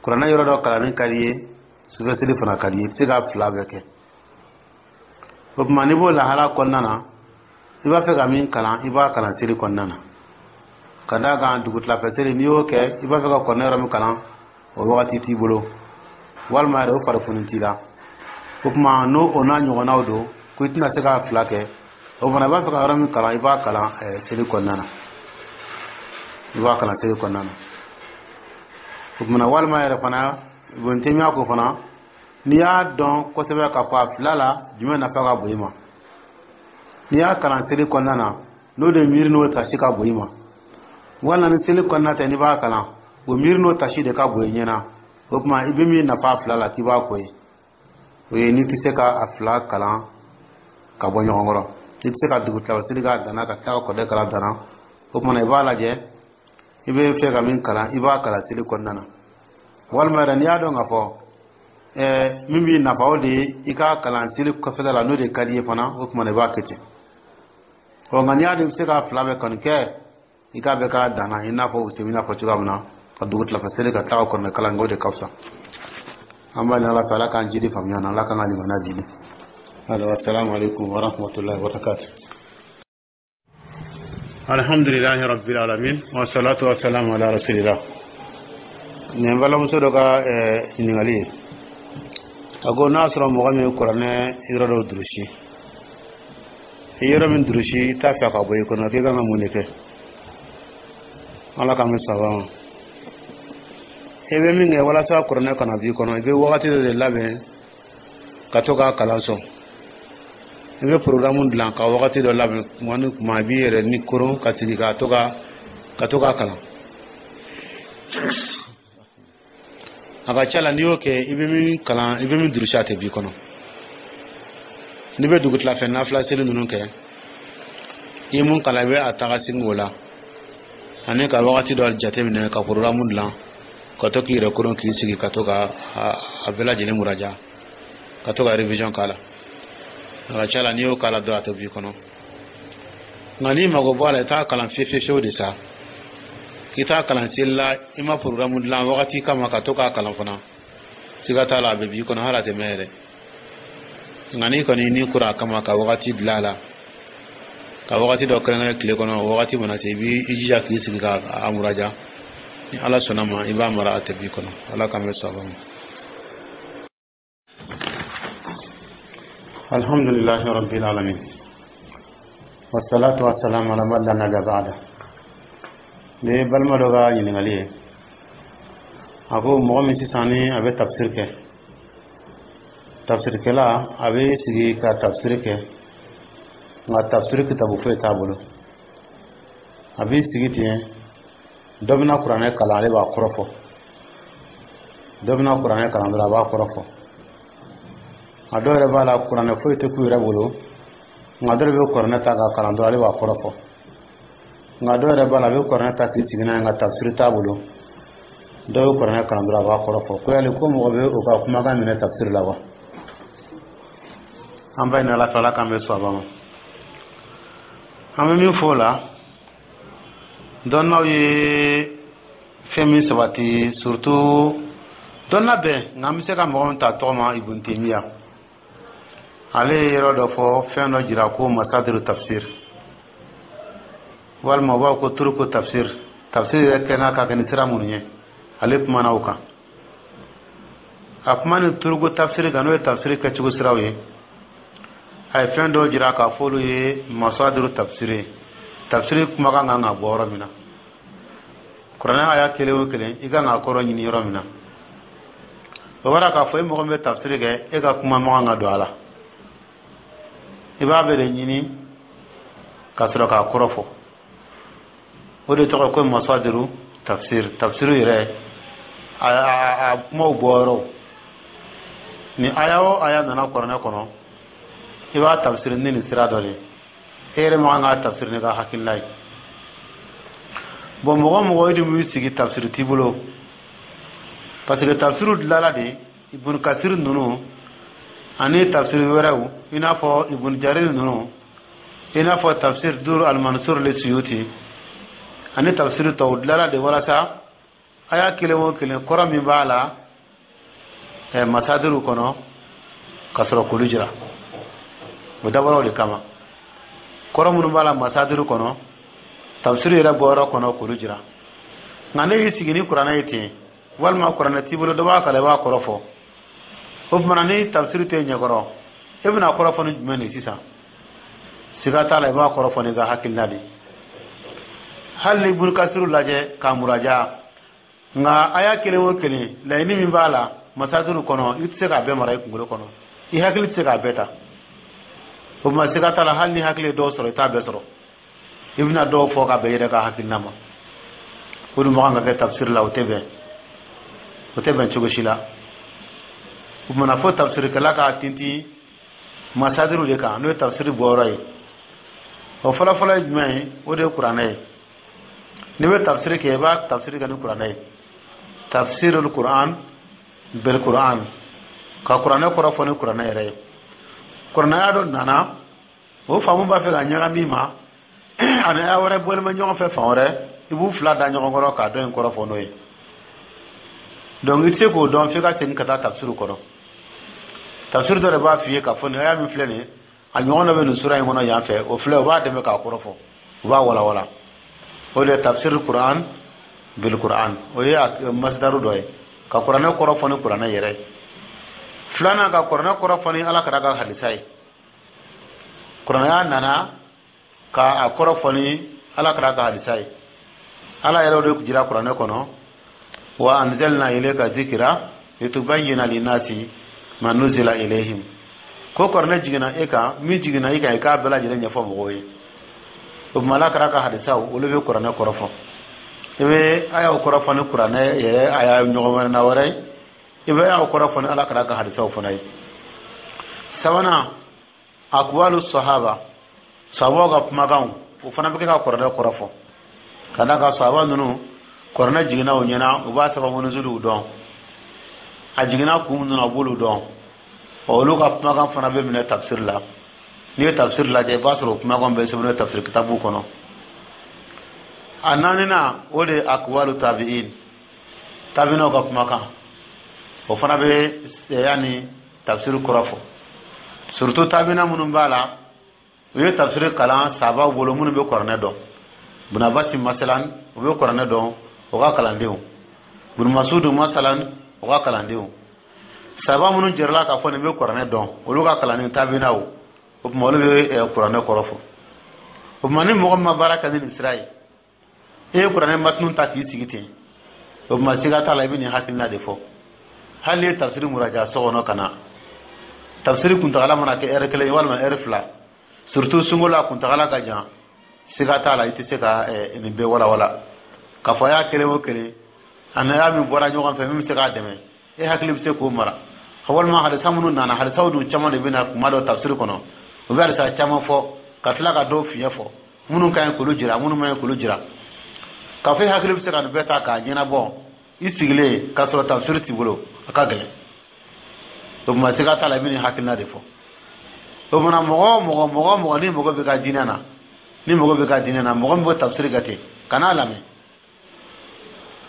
kuranɛ yɔrɔ dɔ kalanni ka di i ye, sufɛ seli fana ka di i ye, i tɛ se k'a fila bɛɛ kɛ, o tuma n'i b'o lahala kɔnɔna na, i b'a fɛ ka min kalan, i b'a kalan seli kɔnɔna na, ka d'a kan dugutilafɛ seli, n'i y'o kɛ, i b'a fɛ ka kuranɛ yɔrɔ min kalan, o wagati t'i bolo, walima yɛrɛ o farifoni t'i la. O tuma n'o o n'a ɲɔgɔnnaw don, ko i tɛna se k'a fila kɛ, o fana i b'a fɛ ka yɔrɔ min kalan, i b'a kalan seli kɔnɔna na, i b'a kalan seli kɔnɔna na. O tuma walima yɛrɛ fana, Ibn ko fana, n'i y'a dɔn kosɛbɛ k'a fɔ a fila la jumɛn nafa ka bon i ma, n'i y'a kalan seli kɔnɔna na, n'o de miiri n'o tasi ka bon i ma, walima ni seli kɔnɔna tɛ, n'i b'a kalan, o miiri n'o tasi de ka bon i ɲɛna, o tuma i bɛ min nafa fila la, k'i b'a ko ye. O ye n'i tɛ se ka a fila kalan ka bɔ ɲɔgɔn kɔrɔ, i tɛ se ka dugutila seli k'a danna ka tila ka kɔdɛ kalan danna, o tuma i b'a lajɛ i bɛ fɛ ka min kalan, i b'a kalan seli kɔnɔna na. Walima yɛrɛ n'i y'a dɔn k'a fɔ min b'i nafa, o de ye i k'a kalan seli kɔfɛla la, n'o de ka di i ye fana, o tuma i b'a kɛ ten. Ɔ nka n'i y'a dɔn i bɛ se k'a fila bɛɛ kɔni kɛ, i k'a bɛɛ k'a danna, i n'a fɔ u bɛna fɔ cogoya min na, ka dugu tilafɛ seli ka tila ka kɔnɔ kalan kɛ, o de ka fisa. An b'a ɲini Ala fɛ, Ala k'an jidi faamuya na, Ala k'an ka limaniya jidi. Assalamu alaikum wa rahmatullahi wa barakatuh. Alhamdulillahi rabbil alamin, wa salatu wa salam ala rasulillah. Nin balimamuso dɔ ka ɲininkali ye, a ko n'a sɔrɔ mɔgɔ min ye kuranɛ yɔrɔ dɔ durusi, i yɔrɔ min durusi, i t'a fɛ ka bɔ i kɔnɔ, k'i kan ka mun de kɛ? Ala k'an bɛ saba ma. I bɛ min kɛ walasa kuranɛ kana b'i kɔnɔ, i bɛ wagati dɔ de labɛn ka to k'a kalan sɔn. I bɛ programme dilan ka wagati dɔ labɛn, kuma ni kuma i b'i yɛrɛ ni koron ka sigi ka to k'a kalan. A ka ca la, n'i y'o kɛ, i bɛ min kalan, i bɛ min durusi, a tɛ b'i kɔnɔ. N'i bɛ dugutilafɛ nafila seli ninnu kɛ, I ye mun kalan, i bɛ a taga segin o la, ani ka wagati dɔ jateminɛ ka programme dilan, ka to k'i yɛrɛ koron, k'i sigi ka to ka a bɛɛ lajɛlen muraja, ka to ka révision k'a la. A ka ca la, n'i y'o k'a la dɔrɔn, a tɛ b'i kɔnɔ. Nka n'i mago bɔ a la, i t'a kalan fiye fiye fiyewu de sa, k'i t'a kalan seli la, i ma programme dilan wagati kama ka to k'a kalan fana, siga t'a la, a bɛ b'i kɔnɔ, hali a tɛ mɛn yɛrɛ. Nka n'i kɔni n'i kura a kama ka wagati dilan a la, ka wagati dɔ kɛrɛnkɛrɛn tile kɔnɔ, o wagati mana se, i b'i jija k'i sigi ka a muraja, ni Ala sɔnna ma, i b'a mara, a tɛ b'i kɔnɔ. Ala k'an bɛ sɔn ma. Alhamdulillahi rabbil alamin, wassalatu wassalamu ala man la nabiyya ba'da. Nin ye balima dɔ ka ɲininkali ye. A ko mɔgɔ min sisan ni a bɛ tafsir kɛ, tafsirikɛla a bɛ sigi ka tafsir kɛ, nka tafsir kitabu foyi t'a bolo, a b'i sigi ten, dɔ bɛna kuranɛ kalan, ale b'a kɔrɔ fɔ, dɔ bɛna kuranɛ kalan dɔrɔn, a b'a kɔrɔ fɔ. A dɔw yɛrɛ b'a la, kuranɛ foyi tɛ k'u yɛrɛ bolo, nka dɔw bɛ kuranɛ ta k'a kalan dɔrɔn, ale b'a kɔrɔ fɔ. Nka dɔw yɛrɛ b'a la, a bɛ kuranɛ ta k'i sigi n'a ye, nka tafsiri t'a bolo, dɔw bɛ kuranɛ kalan dɔrɔn, a b'a kɔrɔ fɔ. Ko yali ko mɔgɔ bɛ o ka kumakan minɛ tafsiri la wa? An b'a ɲini Ala fɛ, Ala k'an bɛ sɔn a ma. An bɛ min fɔ o la, dɔnnaw ye fɛn min sabati, surtout dɔnna bɛɛ, nka an bɛ se ka mɔgɔ min ta tɔgɔ ma, Ibn Taymiya, ale ye yɔrɔ dɔ fɔ, fɛn dɔ jira ko masadiru tafsir, walima u b'a fɔ ko turuku tafsir, tafsir yɛrɛ kɛ n'a ka kɛ ni sira minnu ye, ale kumana o kan. A kuma ni turuku tafsir kan, n'o ye tafsir kɛcogo siraw ye, a ye fɛn dɔw jira k'a fɔ olu ye masadiru tafsir ye, tafsir kumakan kan ka bɔ yɔrɔ min na, kuranɛ aya kelen o kelen, i kan k'a kɔrɔ ɲini yɔrɔ min na. O bɔra k'a fɔ e mɔgɔ min bɛ tafsir kɛ, e ka kuma man kan ka don a la, i b'a bɛɛ de ɲini ka sɔrɔ k'a kɔrɔ fɔ. O de tɔgɔ ko masadiru tafsir, tafsir yɛrɛ a kumaw bɔ yɔrɔ. Ni aya o aya nana kuranɛ kɔnɔ, i b'a tafsir ni nin sira dɔ de ye, e yɛrɛ man kan k'a tafsir n'i ka hakilina ye. Bon, mɔgɔ mɔgɔ e de b'i sigi, tafsir t'i bolo, parce que tafsir dilanla de Ibn Kasir ninnu ani tafsir wɛrɛw, i n'a fɔ Ibn Jarir ninnu, i n'a fɔ tafsir Dur al-Mansur le Suyuti ani tafsir tɔw, dilanla de walasa aya kelen o kelen, kɔrɔ min b'a la masadiru kɔnɔ, ka sɔrɔ k'olu jira. O dabɔra o de kama, kɔrɔ minnu b'a la masadiru kɔnɔ, tafsir yɛrɛ bɔyɔrɔ kɔnɔ, k'olu jira. Nka ne y'i sigi ni kuranɛ ye ten, walima kuranɛ t'i bolo, dɔ b'a kalan, i b'a kɔrɔ fɔ, o tuma ni tafsir tɛ ɲɛkɔrɔ, e bɛna kɔrɔ fɔ ni jumɛn de sisan? Siga t'a la, i b'a kɔrɔ fɔ n'i ka hakilina de. Hali ni Ibn Kasiru lajɛ k'a muraja, nka aya kelen o kelen, laɲini min b'a la masadiru kɔnɔ, i tɛ se k'a bɛɛ mara i kunkolo kɔnɔ, i hakili tɛ se k'a bɛɛ ta. O tuma siga t'a la, hali ni hakili ye dɔw sɔrɔ, i t'a bɛɛ sɔrɔ, i bɛna dɔw fɔ ka bɛn i yɛrɛ ka hakilina ma. O dun man kan ka kɛ tafsir la, o tɛ bɛn, o tɛ bɛn cogo si la. O tuma na, fo tafsirikɛla k'a tintin masadiru de kan, n'o ye tafsiri bɔyɔrɔ ye. O fɔlɔfɔlɔ ye jumɛn ye? O de ye kuranɛ ye. N'i bɛ tafsiri kɛ, i b'a tafsiri kɛ ni kuranɛ ye, tafsirul Quran bil Quran, ka kuranɛ kɔrɔ fɔ ni kuranɛ yɛrɛ ye. Kuranɛ dɔ nana, o faamu b'a fɛ ka ɲagami ma, ani aya wɛrɛ bɔlen bɛ ɲɔgɔn fɛ fan wɛrɛ, i b'u fila da ɲɔgɔn kɔrɔ k'a dɔn in kɔrɔ fɔ n'o ye. Donc i tɛ se k'o dɔn f'i ka segin ka taa tafsiri kɔrɔ. Tafsiri dɔ de b'a f'i ye k'a fɔ nin aya min filɛ nin ye, a ɲɔgɔn dɔ bɛ nin sura in kɔnɔ yan fɛ, o filɛ, o b'a dɛmɛ k'a kɔrɔ fɔ, o b'a walawala. O de ye tafsir Quran bil Quran, o ye masdaru dɔ ye, ka kuranɛ kɔrɔ fɔ ni kuranɛ yɛrɛ ye. Filanan, ka kuranɛ kɔrɔ fɔ ni Ala kira ka hadisa ye. Kuranɛ nana ka a kɔrɔ fɔ ni Ala kira ka hadisa ye. Ala yɛrɛ o de jira kuranɛ kɔnɔ: wa anzalna ilayka dhikra litubayyina linnasi ma nuzila ilayhim. Ko kuranɛ jiginna e kan, min jiginna i kan, i k'a bɛɛ lajɛlen ɲɛfɔ mɔgɔw ye. O tuma, Ala kira ka hadisaw, olu bɛ kuranɛ kɔrɔ fɔ. I bɛ ayaw kɔrɔ fɔ ni kuranɛ yɛrɛ aya ɲɔgɔn wɛrɛ na wɛrɛ ye, i bɛ ayaw kɔrɔ fɔ ni Ala kira ka hadisaw fana ye. Sabanan, akwalu sahaba, sahabaw ka kumakanw, O fana bɛ kɛ ka kuranɛ kɔrɔ fɔ, ka d'a kan sahaba ninnu, kuranɛ jiginna u ɲɛna, u b'a sababu nuzuliw dɔn, a jiginna kun minnu na, u b'olu dɔn. Ɔ, olu ka kumakan fana bɛ minɛ tafsiri la. N'i ye tafsiri lajɛ, i b'a sɔrɔ o kumakan bɛ sɛbɛnnen tafsiri kitabu kɔnɔ. A naaninan, o de ye akwalu tabi'in, tabiinaw ka kumakan. O fana bɛ yanni tafsiri kɔrɔ fɔ, surtout tabiina minnu b'a la, u ye tafsiri kalan sahabaw bolo, minnu bɛ kuranɛ dɔn. Bun Abasi masalan, u bɛ kuranɛ dɔn, o ka kalandenw. Bun Masudu masalan, o ka kalandenw. Sahaba minnu jɛrɛla k'a fɔ nin bɛ kuranɛ dɔn, olu ka kalanden tabiinaw. O tuma, olu bɛ kuranɛ kɔrɔ fɔ. O tuma, ni mɔgɔ min ma baara kɛ ni nin sira ye, e ye kuranɛ matunu ta k'i sigi ten, o tuma, siga t'a la, i bɛ nin hakilina de fɔ. Hali n'i ye tafsiri muraja so kɔnɔ ka na, tafsiri kuntagala mana kɛ ɛri 1 ye walima ɛri 2, surtout sunkalo a kuntagala ka jan, siga t'a la, i tɛ se ka nin bɛɛ walawala k'a fɔ a y'a kelen o kelen a n'a y'a min bɔra ɲɔgɔn fɛ, min bɛ se k'a dɛmɛ, e hakili bɛ se k'o mara. Walima hadisa minnu nana, hadisaw dun caman de bɛ na kuma dɔ tafsiri kɔnɔ, u bɛ hadisa caman fɔ ka tila ka dɔw fiɲɛ fɔ, minnu ka ɲi k'olu jira, minnu man ɲi k'olu jira. K'a fɔ e hakili bɛ se ka nin bɛɛ ta k'a ɲɛnabɔ i sigilen k'a sɔrɔ tafsiri t'i bolo, a ka gɛlɛn. O tuma, siga t'a la, i bɛ nin hakilina de fɔ. O tuma, mɔgɔ o mɔgɔ, mɔgɔ o mɔgɔ, ni mɔgɔ bɛ ka diinɛ na, ni mɔgɔ bɛ ka diinɛ na, mɔgɔ min bɛ tafsiri kɛ ten, kan'a lamɛn.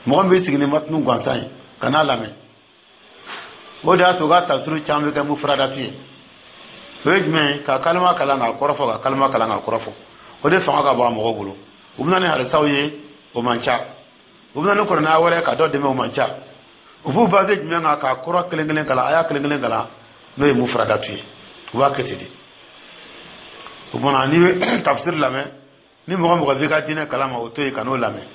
Mɔgɔ min bɛ sigi ni matunu gansan ye, kan'a lamɛn. O de y'a to u ka tafsiri caman bɛ kɛ mufradatu ye. O ye jumɛn ye? Ka kalima kalan k'a kɔrɔ fɔ, ka kalima kalan k'a kɔrɔ fɔ. O de fanga ka bon a mɔgɔw bolo. U bɛ na ni hadisaw ye, o man ca. U bɛ na ni kuranɛ wɛrɛ ka dɔ dɛmɛ, o man ca. U b'u base jumɛn kan? K'a kɔrɔ kelen kelen kalan, a y'a kelen kelen kalan, n'o ye mufradatu ye. U b'a kɛ ten de. O tuma, n'i bɛ tafsiri lamɛn, ni mɔgɔ mɔgɔ b'i ka diinɛ kalama, o to yen, ka n'o lamɛn.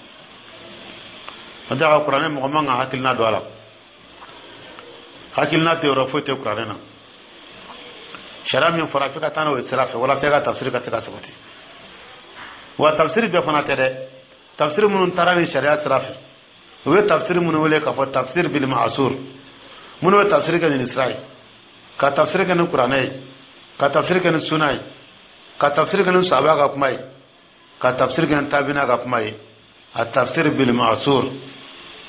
N'o tɛ, a ka kuranɛ, mɔgɔ man ka hakilina don a la. Hakilina tɛ yɔrɔ foyi tɛ kuranɛ na. Sariya min fɔra, f'i ka taa n'o ye sira fɛ walasa i ka tafsiri ka se ka sabati. Wa tafsiri bɛɛ fana tɛ dɛ. Tafsiri minnu taara ni sariya sira fɛ, u bɛ tafsiri minnu wele k'a fɔ tafsir bil ma'asur, minnu bɛ tafsiri kɛ nin sira ye, ka tafsiri kɛ ni kuranɛ ye, ka tafsiri kɛ ni suna ye, ka tafsiri kɛ ni sahaba ka kuma ye, ka tafsiri kɛ ni tabina ka kuma ye, a tafsir bil ma'asur.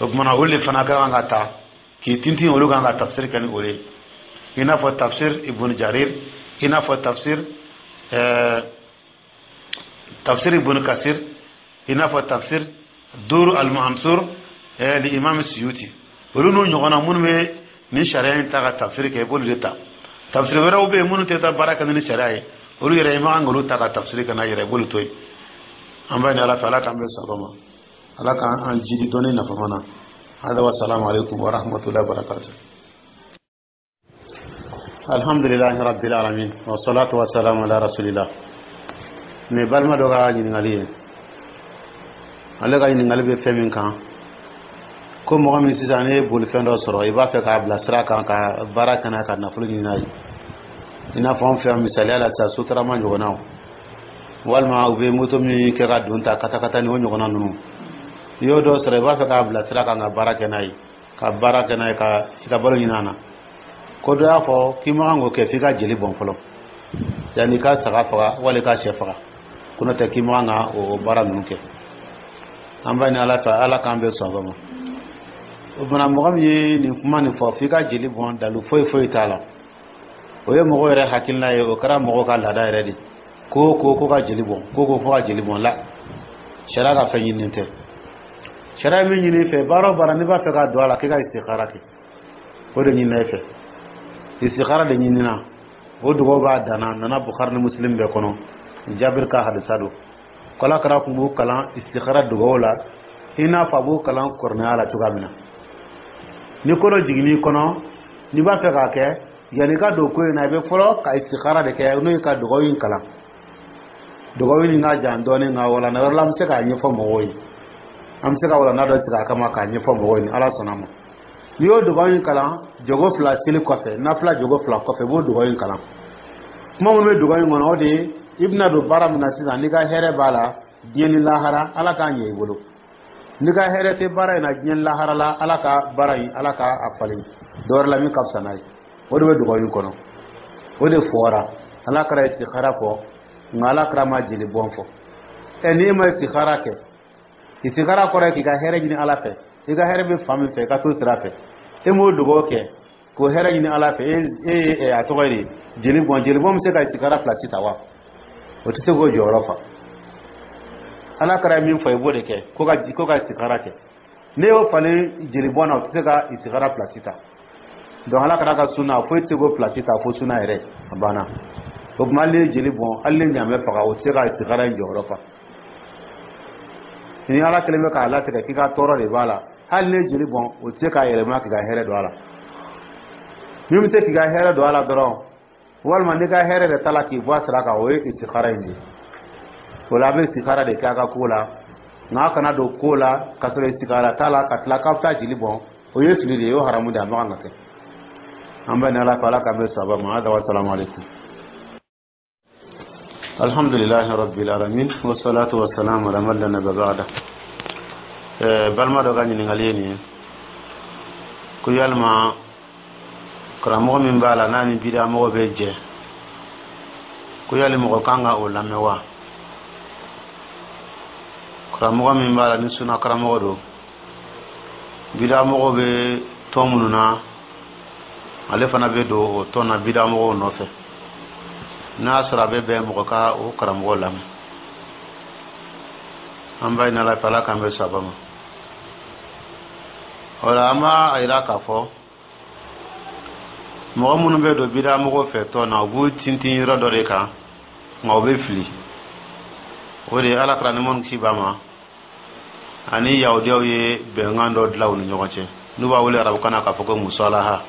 O tuma na, olu de fana ka kan ka ta k'i tintin, olu kan ka tafsir kɛ ni o ye, i n'a fɔ tafsir Ibn Jarir, i n'a fɔ tafsir Ibn Kasir, i n'a fɔ tafsir Dur al-Mansur li Imam Suyuti. Olu n'u ɲɔgɔnna minnu bɛ nin sariya in ta ka tafsir kɛ, i b'olu de ta. Tafsir wɛrɛw bɛ yen minnu tɛ taa baara kɛ ni sariya ye, olu yɛrɛ, i man kan k'olu ta ka tafsir kɛ n'a yɛrɛ, i b'olu to yen. An b'a ɲini Ala fɛ, Ala k'an bɛn sawaba ma, Ala k'an jidi dɔnni nafama na. Hada wa salamu alaikum wa rahmatullahi wa barakatuh. Alhamdulillahi rabbil alamin, wa salatu wa salamu ala rasulillah. Nin balima dɔ ka ɲininkali ye, ale ka ɲininkali bɛ fɛn min kan, ko mɔgɔ min sisan ne ye bolifɛn dɔ sɔrɔ, i b'a fɛ k'a bila sira kan ka baara kɛ n'a ka nafolo ɲini n'a ye, i n'a fɔ an fɛ yan misaliya la sisan, sotarama ɲɔgɔnnaw, walima u bɛ moto min kɛ ka don ta katakata ni o ɲɔgɔnna ninnu. I y'o dɔ sɔrɔ, i b'a fɛ k'a bila sira kan ka baara kɛ n'a ye, ka baara kɛ n'a ye ka i ka balo ɲini a na. Ko dɔ y'a fɔ k'i man kan k'o kɛ f'i ka jeli bɔn fɔlɔ, yanni i ka saga faga wali i ka sɛ faga, ko n'o tɛ k'i man kan ka o baara ninnu kɛ. An b'a ɲini Ala fɛ, Ala k'an bɛn sawaba ma. O fana, mɔgɔ min ye nin kuma nin fɔ f'i ka jeli bɔn, dalu foyi foyi t'a la. O ye mɔgɔw yɛrɛ hakilina ye, o kɛra mɔgɔw ka laada yɛrɛ de, ko ko ko ka jeli bɔn, ko ko fo ka jeli bɔn. La sariya ka fɛn ɲininen tɛ. Sariya min ɲini i fɛ, baara o baara n'i b'a fɛ ka don a la, k'i ka istikhara kɛ, o de ɲinina i fɛ. Istikhara de ɲinina, o dugawu b'a danna, nana Bukhari ni Muslim bɛɛ kɔnɔ, Jabir ka hadisa don, ko Ala kira tun b'u kalan istikhara dugawu la, i n'a fɔ a b'u kalan kuranɛya la cogoya min na. Ni ko dɔ jiginn'i kɔnɔ, n'i b'a fɛ k'a kɛ, yanni i ka don ko in na, i bɛ fɔlɔ ka istikhara de kɛ, n'o ye ka dugawu in kalan. Dugawu in ka jan dɔɔnin, nka walanda wɛrɛ la an bɛ se k'a ɲɛfɔ mɔgɔw ye, an bɛ se ka walanda dɔ sigi a kama k'a ɲɛfɔ mɔgɔw ye, ni Ala sɔnna ma. N'i y'o dugawu in kalan jogo 2 seli kɔfɛ, nafila jogo 2 kɔfɛ, i b'o dugawu in kalan. Kuma minnu bɛ dugawu in kɔnɔ, o de ye i bɛna don baara min na sisan, n'i ka hɛrɛ b'a la diɲɛ ni lahara, Ala k'a ɲɛ i bolo. N'i ka hɛrɛ tɛ baara in na diɲɛ ni lahara la, Ala ka baara in, Ala ka a falen dɔ wɛrɛ la min ka fisa n'a ye. O de bɛ dugawu in kɔnɔ, o de fɔra. Ala kira istikhara fɔ, nka Ala kira ma jeli bɔn fɔ. Ɛ, n'i ma istikhara kɛ, istikhara kɔrɔ ye k'i ka hɛrɛ ɲini Ala fɛ, i ka hɛrɛ bɛ fan min fɛ, i ka t'o sira fɛ. E m'o dugawu kɛ k'o hɛrɛ ɲini Ala fɛ, e ye a tɔgɔ ye di, jeli bɔn. Jeli bɔn bɛ se ka istikhara place ta wa? O tɛ se k'o jɔyɔrɔ fa. Ala kɛra min fɔ, i b'o de kɛ. Ko ka istikhara kɛ, ne y'o falen jeli bɔn na, o tɛ se ka istikhara place ta. Donc Ala kɛra ka sunna, foyi tɛ se k'o place ta fo sunna yɛrɛ. A banna. O tuma, hali ni ye jeli bɔn, hali ni ɲaamɛ faga, o tɛ se ka istikhara in jɔyɔrɔ fa. Ni Ala kɛlen bɛ k'a latigɛ k'i ka tɔɔrɔ de b'a la, hali ni ye jeli bɔn, o tɛ se k'a yɛlɛma k'i ka hɛrɛ don a la. Min bɛ se k'i ka hɛrɛ don a la dɔrɔn, walima n'i ka hɛrɛ de ta la k'i bɔ a sira kan, o ye istikhara in de ye. O la, a bɛ istikhara de kɛ a ka ko la, nka a kana don ko la ka sɔrɔ istikhara t'a la, ka tila k'a bɛ taa jeli bɔn. O ye fili de ye, o ye haramu de ye, a man kan ka kɛ. An bɛ ni Ala fɛ, Ala k'an bɛ sababa ma. Hada wa salamu aleykum. Alhamdulilahi rabbil alamin, wassalatu wassalamu ala man la nabiyya ba'da. Balima dɔ ka ɲininkali ye nin ye ko yalima karamɔgɔ min b'a la, n'a ni bidamɔgɔ bɛ jɛ, ko yali mɔgɔ kan ka o lamɛn wa? Karamɔgɔ min b'a la, ni suna karamɔgɔ don, bidamɔgɔ bɛ tɔn minnu na, ale fana bɛ don o tɔn na bidamɔgɔw nɔfɛ, n'a y'a sɔrɔ a bɛ bɛn mɔgɔ ka o karamɔgɔ lamɛn? An b'a ɲini Ala fɛ, Ala k'an bɛ saba ma. O la, an b'a yira k'a fɔ mɔgɔ minnu bɛ don bidamɔgɔw fɛ tɔn na, u b'u tintin yɔrɔ dɔ de kan, nka u bɛ fili. O de ye Ala kɛra ni minnu ci ba ma ani Yahudiyaw ye bɛnkan dɔ dilan u ni ɲɔgɔn cɛ, n'u b'a wele arabukan na k'a fɔ ko musalaha.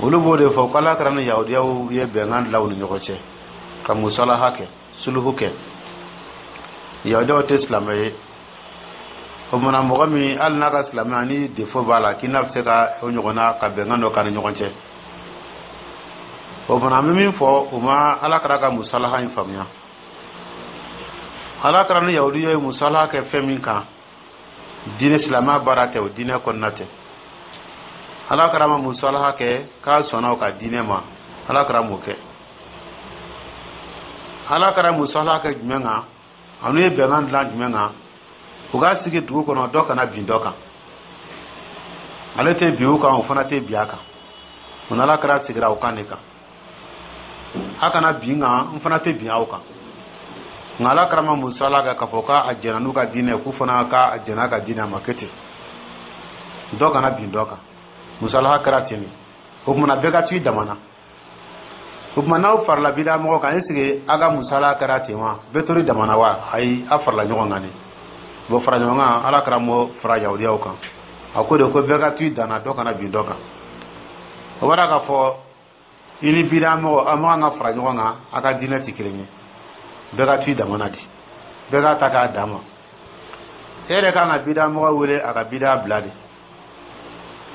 Olu b'o de fɔ ko Ala kɛra ni Yahudiyaw ye bɛnkan dilan u ni ɲɔgɔn cɛ ka musalaha kɛ, suluhu kɛ. Yahudiyaw tɛ silamɛ ye. O kumana, mɔgɔ min, hali n'a ka silamɛya ni défaut b'a la, k'i n'a bɛ se ka o ɲɔgɔnna ka bɛnkan dɔ k'a ni ɲɔgɔn cɛ. O fana, an bɛ min fɔ, u ma Ala kɛra ka musalaha in faamuya. Ala kɛra ni Yahudiya ye musalaha kɛ fɛn min kan, diinɛ silamɛya baara tɛ, o diinɛ kɔnɔna tɛ. Ala kɛra ma musalaha kɛ k'a sɔnna o ka diinɛ ma, Ala kɛra m'o kɛ. Ala kɛra musalaha kɛ jumɛn kan? Ani ye bɛnkan dilan jumɛn kan? U ka sigi dugu kɔnɔ, dɔ kana bin dɔ kan. Ale tɛ bin u kan, o fana tɛ bin a kan. O n'Ala kɛra sigira o kan de kan: a kana bin kan, n fana tɛ bin aw kan. Nka Ala kɛra ma musala kɛ k'a fɔ k'a jɛnna n'u ka diinɛ, k'u fana ka jɛn'a ka diinɛ ma kɛ ten, dɔ kana bin dɔ kan. Musalaha kɛra ten de. O kumana, bɛɛ ka to i dama na. O tuma, n'aw farala bida mɔgɔ kan, est ce que aw ka musala kɛra ten wa? Bɛɛ tori dama na wa? Ayi, aw farala ɲɔgɔn kan de. Bon, fara ɲɔgɔn kan, Ala kɛra m'o fara Yahudiyaw kan. A ko de ko bɛɛ ka to i dan na, dɔ kana bin dɔ kan. O b'a k'a fɔ i ni bida mɔgɔ, aw man kan ka fara ɲɔgɔn kan, aw ka diinɛ tɛ kelen ye. Bɛɛ ka to i dama na de, bɛɛ k'a ta k'a dan ma. E yɛrɛ kan ka bida mɔgɔ wele a ka bida bila de,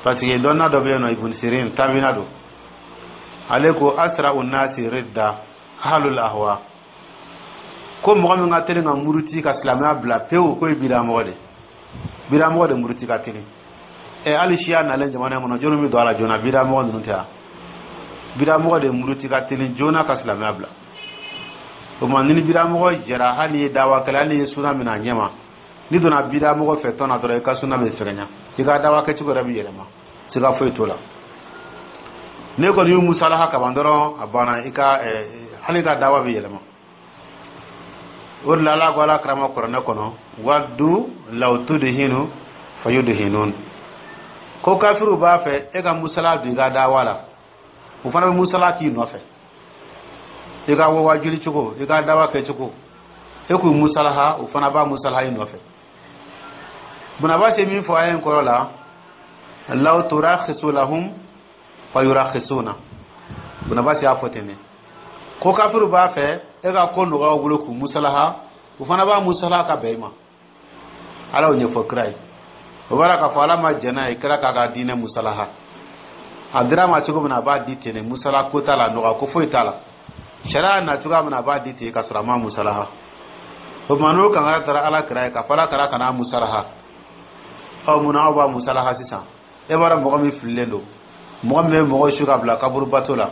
parce que dɔnna dɔ bɛ yen nɔ, Ibn Sirin, tabina don, ale ko: "Asra unnasi ridda ahlul ahwa." Ko mɔgɔ min ka teli ka muruti ka silamɛya bila pewu, k'o ye bidamɔgɔ de. Bidamɔgɔ de muruti ka teli. Ɛ, hali siya nalen jamana in kɔnɔ, jɔnni bɛ don a la joona? Bidamɔgɔ ninnu tɛ yan. Bidamɔgɔ de muruti ka teli joona ka silamɛya bila. O tuma, ni bidamɔgɔ jɛra, hali ni ye dawa kɛlɛ, hali ni ye suna minɛ a ɲɛ ma, n'i donna bidamɔgɔ fɛ tɔn na dɔrɔn, i ka suna bɛ fɛgɛnya, i ka dawa kɛcogo yɛrɛ bɛ yɛlɛma, siga foyi t'o la. Ne kɔni y'u musalaha kaban dɔrɔn, a banna. I ka hali i ka dawa bɛ yɛlɛma. O de la, Ala ko Ala karama kuranɛ kɔnɔ: "Waddu law tudhinu fayudhinun." Ko kafiriw b'a fɛ e ka musala don i ka dawa la, o fana bɛ musala k'i nɔfɛ. I ka wajuli cogo, i ka dawa kɛcogo, e k'u musalaha, o fana b'a musalaha i nɔfɛ. Bunaba se min fɔ a ye kɔrɔ la: "Law turakhisu lahum fayurakhisuna." Bunaba se y'a fɔ ten de ko kafiriw b'a fɛ e ka ko nɔgɔya u bolo k'u musalaha, u fana b'a musalaha ka bɛn i ma. Ala y'o ɲɛfɔ kira ye. O b'a la k'a fɔ Ala ma jɛn n'a ye kira k'a ka diinɛ musalaha. A dira ma cogo min na, a b'a di ten de. Musala ko t'a la, nɔgɔya ko foyi t'a la. Sariya na cogoya min na, a b'a di ten ka sɔrɔ a ma musalaha. O tuma, n'o kankari taara Ala kira ye k'a fɔ Ala kira kana musalaha, ɔ, munna aw b'a musalaha sisan? E b'a dɔn mɔgɔ min fililen don, mɔgɔ min bɛ mɔgɔ su ka bila kaburu bato la.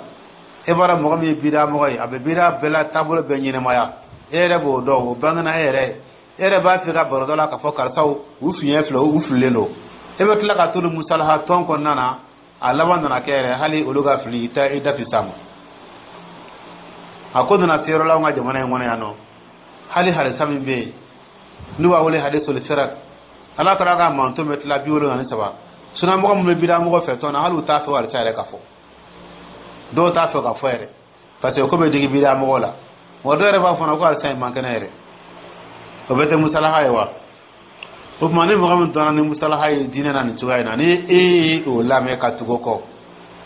E b'a dɔn mɔgɔ min ye bida mɔgɔ ye, a bɛ bida bɛɛ la taabolo bɛɛ ɲɛnɛmaya. E yɛrɛ b'o dɔn, o bangena e yɛrɛ, e yɛrɛ b'a fɛ ka baro dɔ la k'a fɔ karisaw u fiɲɛ filɛ, u fililen don. E bɛ tila ka t'olu musalaha tɔn kɔnɔna na. A laban nana kɛ yɛrɛ, hali olu ka fili, i tɛ i da tɛ s'a ma. A ko nana se yɔrɔ la, anw ka jamana in kɔnɔ yan nɔ, hali hadisa min bɛ yen n'u b'a wele hadisul firak, Ala kɛra ka manton bɛ tila 73, sunamɔgɔ min bɛ bidamɔgɔ fɛ tɔn na, hali u t'a fɛ hadisa yɛrɛ ka fɔ. Dɔw t'a fɛ ka fɔ yɛrɛ, parce que ko bɛ digi bidamɔgɔ la. Wa dɔw yɛrɛ b'a fɔ ko hadisa in man kɛnɛ yɛrɛ. O bɛɛ tɛ musalaha ye wa? O tuma, ni mɔgɔ min dɔnna ni musalaha ye diinɛ na nin cogoya in na, ni e ye o lamɛn ka tugu o kɔ,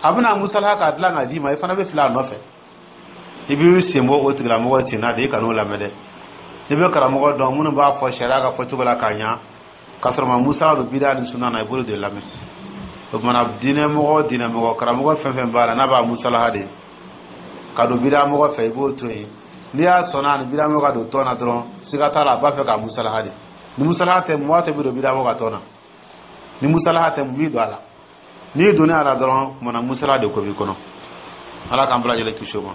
a bɛna musalaha k'a dilan k'a d'i ma, i fana bɛ fili a nɔfɛ. I b'i sen bɔ o tigilamɔgɔ sen na de, i kan'o lamɛn dɛ. I bɛ karamɔgɔ dɔn minnu b'a fɔ sariya ka fɔcogo la k'a ɲa, k'a sɔrɔ ma musala don bida ni sunna na, i b'olu de lamɛn. O tuma, diinɛmɔgɔ, diinɛmɔgɔ karamɔgɔ fɛn fɛn b'a la, n'a b'a musalaha de ka don bidamɔgɔ fɛ, i b'o to yen. N'i y'a sɔnna ni bidamɔgɔ ka don tɔn na dɔrɔn, siga t'a la, a b'a fɛ k'a musalaha de. Ni musalaha tɛ, mɔgɔ tɛ bɛ don bidamɔgɔ ka tɔn na. Ni musalaha tɛ, mun b'i don a la? N'i donna a la dɔrɔn, kumana musalaha de ko b'i kɔnɔ. Ala k'an bɛɛ lajɛlen kisi o ma.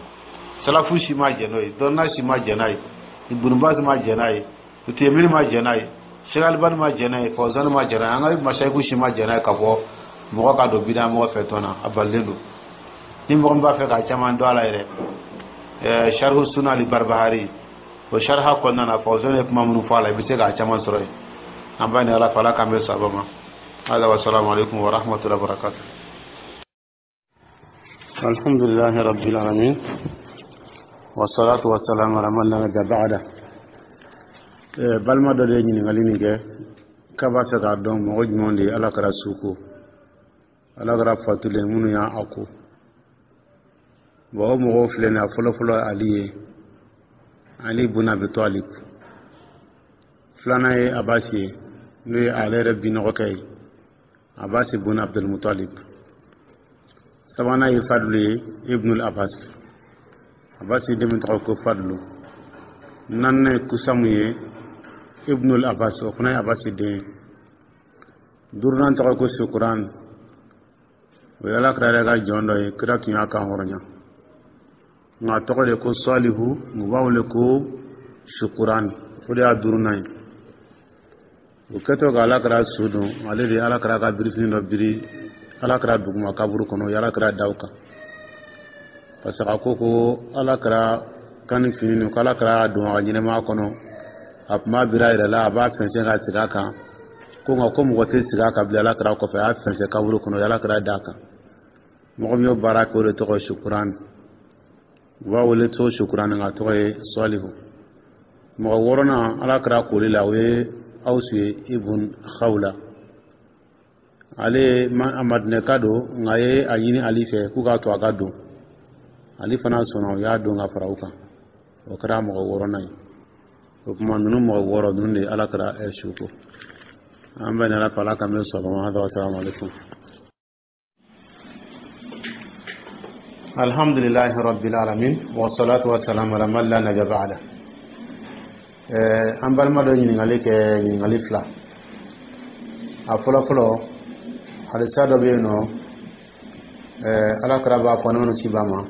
Salafu si ma jɛn n'o ye, dɔnna si ma jɛn n'a ye, Ibn Baz ma jɛn n'a ye, Uthaymin ma jɛn n'a ye, Sheikh Albani ma jɛn n'a ye, Fawzan ma jɛn n'a ye, an ka masayiku si ma jɛn n'a ye k'a fɔ mɔgɔ ka don bida mɔgɔ fɛ tɔn na. A balilen don. Ni mɔgɔ min b'a fɛ ka caman dɔn a la yɛrɛ, Sharhu Sunna li Barbahari, o sharha kɔnɔna na, Fawzan ye kuma minnu fɔ a la, i bɛ se k'a caman sɔrɔ yen. An b'a ɲini Ala fɛ, Ala k'an bɛn sababa ma. Hada wa salamu alaikum wa rahmatullahi wa barakatuh. الحمد لله رب العالمين، والصلاة والسلام على من لا نبي بعده. Balima dɔ de ye ɲininkali nin kɛ k'a b'a fɛ k'a dɔn mɔgɔ jumɛn de ye Ala kɛra su ko, Ala kɛra fatulen, minnu y'a ko. Bon, o mɔgɔw filɛ nin ye: a fɔlɔfɔlɔ ye Ali ye, Ali bun Abi Talib. Filanan ye Abasi ye, n'o ye ale yɛrɛ binɔgɔkɛ ye, Abasi bun Abdulmutalib. Sabanan ye Fadlu ye, Ibnul Abbas, Abasi den min tɔgɔ ko Fadlu. Naaninan ye Kusamu ye, Ibnul Abbas, o fana ye Abasi den ye. Duurunan tɔgɔ ko Sukuran, o ye Ala kira yɛrɛ ka jɔn dɔ ye, kira tun y'a kan hɔrɔnya, nka a tɔgɔ de ko Salihu, u b'a wele ko Sukuran, o de y'a duurunan ye. O kɛtɔ ka Ala kira su don, ale de ye Ala kira ka birifini dɔ biri Ala kira duguma kaburu kɔnɔ, o ye Ala kira da o kan, parce que a ko ko Ala kira kan ni fini nin, ko Ala kira y'a don a ka ɲɛnɛmaya kɔnɔ, a tun b'a biri a yɛrɛ la, a b'a fɛnsɛn ka sigi a kan, ko nka ko mɔgɔ tɛ sigi a kan bilen Ala kira kɔfɛ. A y'a fɛnsɛn kaburu kɔnɔ, o ye Ala kira d'a kan. Mɔgɔ min y'o baara kɛ, o de tɔgɔ ye Sukuran, u b'a wele to Sukuran, nka a tɔgɔ ye Salihu. Mɔgɔ wɔɔrɔnan Ala kira koli la, o ye Awusu ye, Ibun Khawla. Ale a Madinɛka don, nka a ye a ɲini Ali fɛ k'u k'a to a ka don. Ali fana sɔnna, o y'a don ka fara u kan. O kɛra mɔgɔ wɔɔrɔnan ye. O tuma, ninnu mɔgɔ wɔɔrɔ ninnu de ye Ala kɛra su ko. An bɛ Ala fɛ, Ala k'an bɛ sɔgɔma. Hada wa salamu alaikum. Alhamdulillahi rabbil alamin, wa salatu wa salam ala man la nabiyya ba'da. An balima dɔ ɲininkali kɛ, ɲininkali fila. A fɔlɔ fɔlɔ, hadisa dɔ bɛ yen nɔ, Ala kira b'a fɔ ne ci b'a ma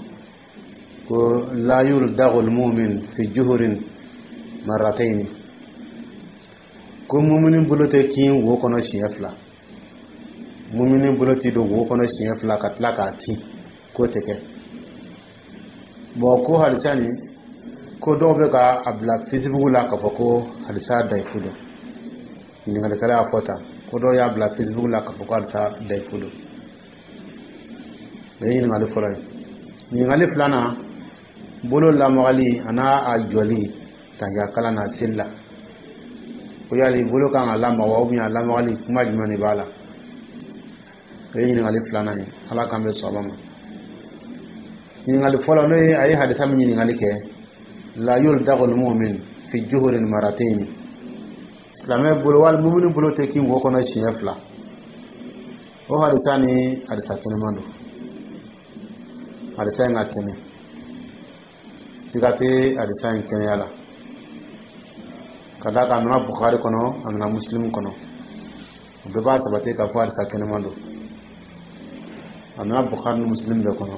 ko la yuldagul mu'min fi juhurin marratayn, ko mumini bolo tɛ kin wo kɔnɔ siɲɛ fila. Mumini bolo tɛ don wo kɔnɔ siɲɛ fila ka tila k'a kin, k'o tɛ kɛ. Bon, ko hadisa nin, ko dɔw bɛ ka a bila Facebook la k'a fɔ ko hadisa dayifu don. Ɲininkalikɛla y'a fɔ tan ko dɔw y'a bila Facebook la k'a fɔ ko hadisa dayifu don. O ye ɲininkali fɔlɔ ye. Ɲininkali filanan, bolo lamagali a n'a a jɔli tahiya kalan na seli la, ko yali bolo kan ka lamaga wa, ou bien a lamagali kuma jumɛn de b'a la? O ye ɲininkali filanan ye. Ala k'an bɛ sɔn a ma. Ɲininkali fɔlɔ, n'o ye a ye hadisa min ɲininkali kɛ, la yuldagul mu'min fi juhurin maratayn, silamɛ bolo wali mumini bolo tɛ kin wo kɔnɔ siɲɛ fila, o hadisa ni hadisa kɛnɛman don. Hadisa in ka kɛnɛ, siga tɛ hadisa in kɛnɛya la, ka d'a kan a nana Bukhari kɔnɔ, a nana Muslim kɔnɔ. O bɛɛ b'a sabati k'a fɔ hadisa kɛnɛman don. A nana Bukhari ni Muslim bɛɛ kɔnɔ.